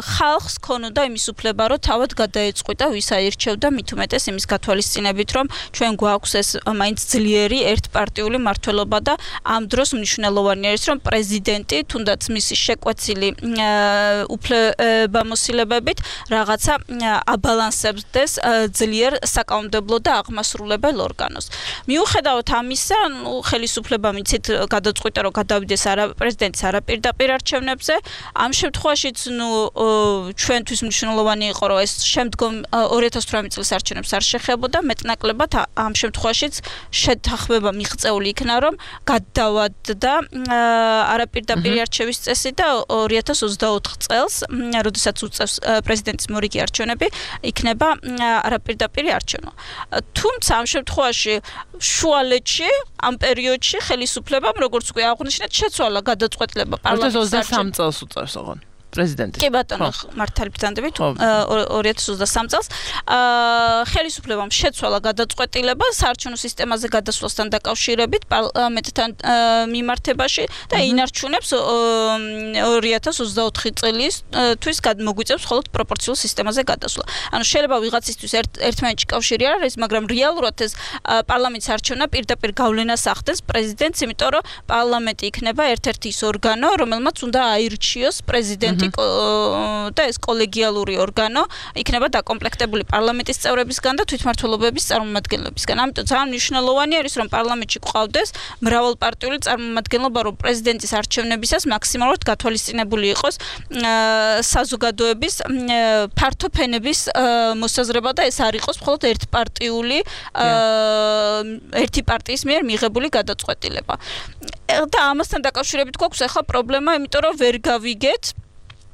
E: ხალხს ქონოდა იმის უფლება, რომ თავად გადაეწყვიტა, ვის აირჩევდა, მით უმეტეს იმის გათვალისწინებით, რომ ჩვენ გვაქვს ეს მაინც ძლიერი ერთპარტიული მმართველობა და ამ დროს მნიშვნელოვანი არის, რომ პრეზიდენტი, თუნდაც მისი შეკვეცილი უფლებამოსილებებით, რაღაცა აბალანსებდეს ძლიერ საკანონმდებლო და აღმასრულებელ ორგანოს. მიუხედავად ამისა, ხელისუფლება მიცით გადაწყვიტა, რომ გადავიდეს პრეზიდენტის არაპირდაპირ არჩევნებზე. ამ შემთხვევაშიც, ჩვენთვის მნიშვნელოვანი იყო, რომ ეს შემდგომ 2018 წლის არჩევნებს არ შეხებოდა, მეტნაკლებად ამ შემთხვევაშიც შეთანხმება მიღწეული იქნა, რომ გადავადდა არაპირდაპირი არჩევის წესი და 2024 წელს, როდესაც უწევს პრეზიდენტის მორიგი არჩევნები, იქნება არაპირდაპირი არჩევნა. თუმცა ამ შემთხვევაში შუალედში ამ პერიოდში ხელისუფლებამ როგორც უკვე აღნიშნეთ შეცვალა გადაწყვეტილება პარლამენტის
A: 23 წელს უწევს ოღონ პრეზიდენტი.
E: კი ბატონო, მართალი ბრძანდებით 2023 წელს ხელისუფლებამ შეცვალა გადაწყვეტილება საარჩევნო სისტემაზე გადასვლასთან დაკავშირებით პარლამენტთან მიმართებაში და ინარჩუნებს 2024 წელისთვის მოგვიწევს მხოლოდ პროპორციულ სისტემაზე გადასვლა. ანუ შეიძლება ვიღაცისთვის ერთმანეთში კავშირი არ არის, მაგრამ რეალურად ეს პარლამენტის არჩევნა პირდაპირ გავლენას ახდენს პრეზიდენტს, იმიტომ რომ პარლამენტი იქნება ერთ-ერთი ის ორგანო, რომელმაც უნდა აირჩიოს პრეზიდენტი და ეს კოლეგიალური ორგანო იქნება დაკომპლექტებული პარლამენტის წევრებისგან და თვითმმართველობების წარმომადგენლებისგან. ამიტომ ძალიან მნიშვნელოვანი არის, რომ პარლამენტში გვყავდეს მრავალპარტიული წარმომადგენლობა, რომ პრეზიდენტის არჩევნებისას მაქსიმალურად გათვალისწინებული იყოს საზოგადოების ფართო ფენების მოსაზრება და ეს არ იყოს მხოლოდ ერთი პარტიის მიერ მიღებული გადაწყვეტილება. და ამასთან დაკავშირებით გვაქვს ახლა პრობლემა, იმიტომ რომ ვერ გავიგეთ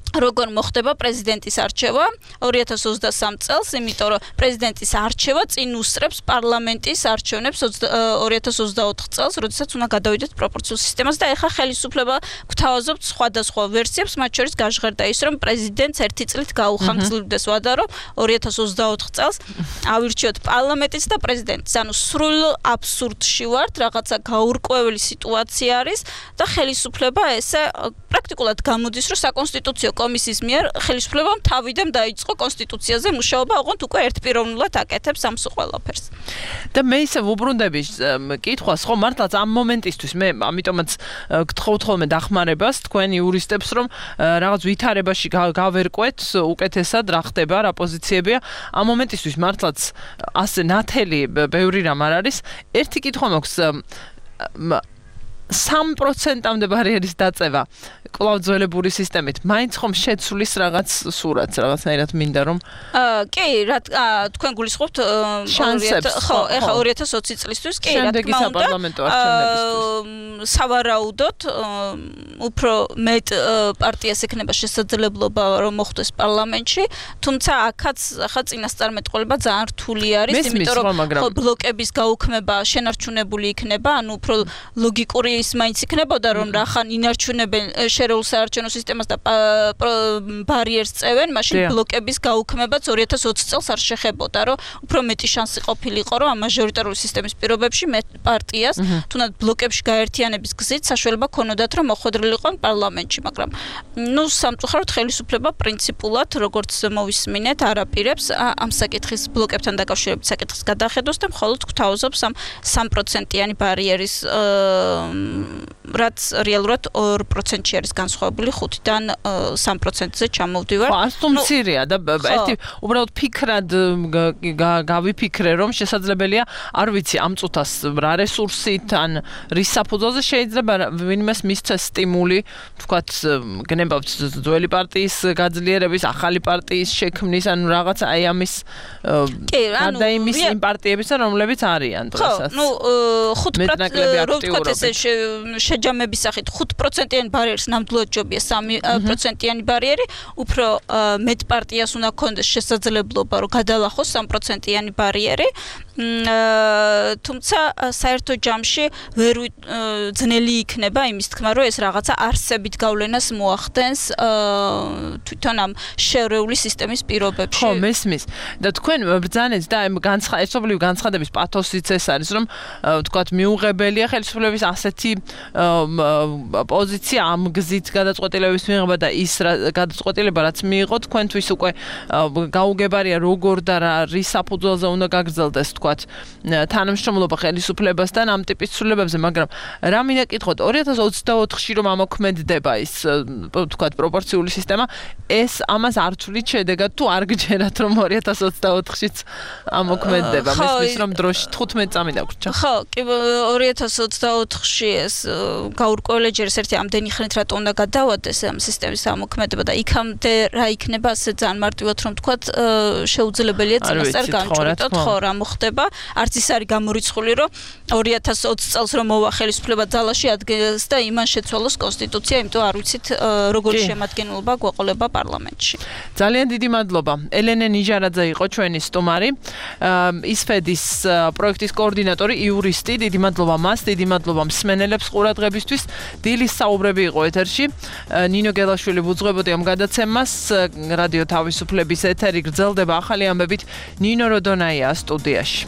E: როგორ მოხდება პრეზიდენტის არჩევა 2023 წელს, იმიტომ რომ პრეზიდენტის არჩევა წინ უსწრებს პარლამენტის არჩევნებს 2024 წელს, როდესაც უნდა გადავიდეთ პროპორციულ სისტემაზე და ეხლა ხელისუფლება გვთავაზობთ სხვადასხვა ვერსიებს, მათ შორის გაჟღერდა ის, რომ პრეზიდენტს ერთი წლით გაუხანგრძლივდეს ვადა, რომ 2024 წელს ავირჩიოთ პარლამენტის და პრეზიდენტის. ანუ სრულ აბსურდში ვართ, რაღაცა გაურკვეველი სიტუაცია არის და ხელისუფლება ესე პრაქტიკულად გამოდის, რომ საკონსტიტუციო კომისიის მიერ ხელისუფლებამ თავიდან დაიწყო კონსტიტუციაზე მუშაობა, ოღონდ უკვე ერთპიროვნულად აკეთებს ამ ყველაფერს.
A: და მე ისე ვუბრუნდები კითხვას, ხო, მართლაც ამ მომენტისთვის მე ამიტომაც გთხოვთ ხოლმე დახმარებას თქვენ იურისტებს, რომ რაღაც ვითარებაში გავერკვეთ უკეთესად რა ხდება, რა პოზიციებია. ამ მომენტისთვის მართლაც ასე ნათელი ბევრი რამ არ არის. ერთი კითხვა მაქვს 3%-მდე ბარიერის დაწევა კვლავ ძველებური სისტემით მაინც ხომ შეცვლის რაღაც სურათს, რაღაცნაირად მინდა რომ
E: კი, რა თქვენ გულისხმობთ ხო, ეხლა 2020 წლისთვის კი, რა თქმა უნდა, სავარაუდოდ უფრო მეტ პარტიას ექნება შესაძლებლობა რომ მოხვდეს პარლამენტში, თუმცა აქაც ახლა წინასწარმეტყველება ძალიან რთული არის, იმიტომ რომ ბლოკების გაუქმება შენარჩუნებული იქნება, ანუ უფრო ლოგიკური ის მაინც იქნებოდა რომ რახან ინარჩუნებენ შერეულ საარჩევნო სისტემას და ბარიერს წევენ, მაშინ ბლოკების გაუქმებაც 2020 წელს არ შეხებოდა, რომ უფრო მეტი შანსი ყოფილიყო, რომ ამ მაჟორიტარული სისტემის პირობებში პარტიას თუნდაც ბლოკებში გაერთიანების გზით საშუალება ქონოდათ, რომ მოხვედრილიყონ პარლამენტში, მაგრამ სამწუხაროდ ხელისუფლება პრინციპულად, როგორც მოვისმინეთ, არაპირებს ამ საკითხის ბლოკებთან დაკავშირებით საკითხის გადახედოს და მხოლოდ გვთავაზობს ამ 3%-იანი ბარიერის რაც რეალურად 2%-ში არის განსხვავებული 5-დან 3%-ზე ჩამოვდივარ.
A: ხო, ასტუმ მცირეა და ერთი უბრალოდ ფიქრად გავიფიქრე, რომ შესაძლებელია, არ ვიცი, ამ წუთას რა რესურსით ან რის საფუძველზე შეიძლება ვინმეს მისცეს სტიმული, თქვათ, გნებავთ ძველი პარტიის გაძლიერების, ახალი პარტიის შექმნის, ანუ რაღაც აი ამის და იმის იმ პარტიებისა, რომლებიც არიან დღესაც.
E: ხო, 5% რო ვთქვათ ესე შეჯამების სახით 5%-იანი ბარიერს ნამდვილად ჯობია 3%-იანი ბარიერი, უფრო მეტ პარტიას უნდა ქონდეს შესაძლებლობა, რომ გადალახოს 3%-იანი ბარიერი თუმცა საერთო ჯამში ვერ ძნელი იქნება იმის თქმა, რომ ეს რაღაცა არსებით გავლენას მოახდენს თვითონ ამ შერეული სისტემის პირობებში.
A: ხო, მესმის. და თქვენ ბრძანეთ და ამ ერთობლივი განცხადების პათოსიც ეს არის, რომ თქვათ მიუღებელია ხელისუფლების ასეთი პოზიცია ამ გზით გადაწყვეტილების მიღება და ის გადაწყვეტილება რაც მიიღო თქვენთვის უკვე გაუგებარია როგორ და რის საფუძველზე უნდა გაგრძელდეს თქვათ თანამშრომლობა ხელისუფლებასთან ამ ტიპის ცვლილებებზე, მაგრამ რა მინდა კითხოთ 2024-ში რომ ამოქმედდება ის თქვათ პროპორციული სისტემა, ეს ამას არ თვლით შედეგად თუ არ გჯერათ რომ 2024-შიც ამოქმედდება, მესმის რომ დროში 15 წამი დაგვრჩა.
E: ხო, კი 2024-ში ეს გაურკვეველი ჯერ ერთი ამდენი ხნით რატო უნდა გადავადეს ამ სისტემის ამოქმედება და იქამდე რა იქნება ასე ძალიან მარტივად რომ თქვათ შეუძლებელია წინასწარ განჭვრიტოთ, ხო, რა მოხდება. არც ის არის გამორიცხული რომ 2020 წელს რომ მოვა ხელისუფლება ძალაში ადგენს და იმან შეცვალოს კონსტიტუცია, იმიტომ არ ვიცით როგორი შემადგენლობა გვეყოლება პარლამენტში.
A: ძალიან დიდი მადლობა. ელენე ნიჟარაძე იყო ჩვენი სტუმარი. ისფედის პროექტის კოორდინატორი, იურისტი. დიდი მადლობა მას, დიდი მადლობა მსმენელებს ყურადღებისთვის. დილის საუბრები იყო ეთერში. ნინო გელაშვილი ბუძღვებოდი ამ გადაცემას. რადიო თავისუფლების ეთერი გრძელდება ახალი ამბებით. ნინო როდონაია სტუდიაში.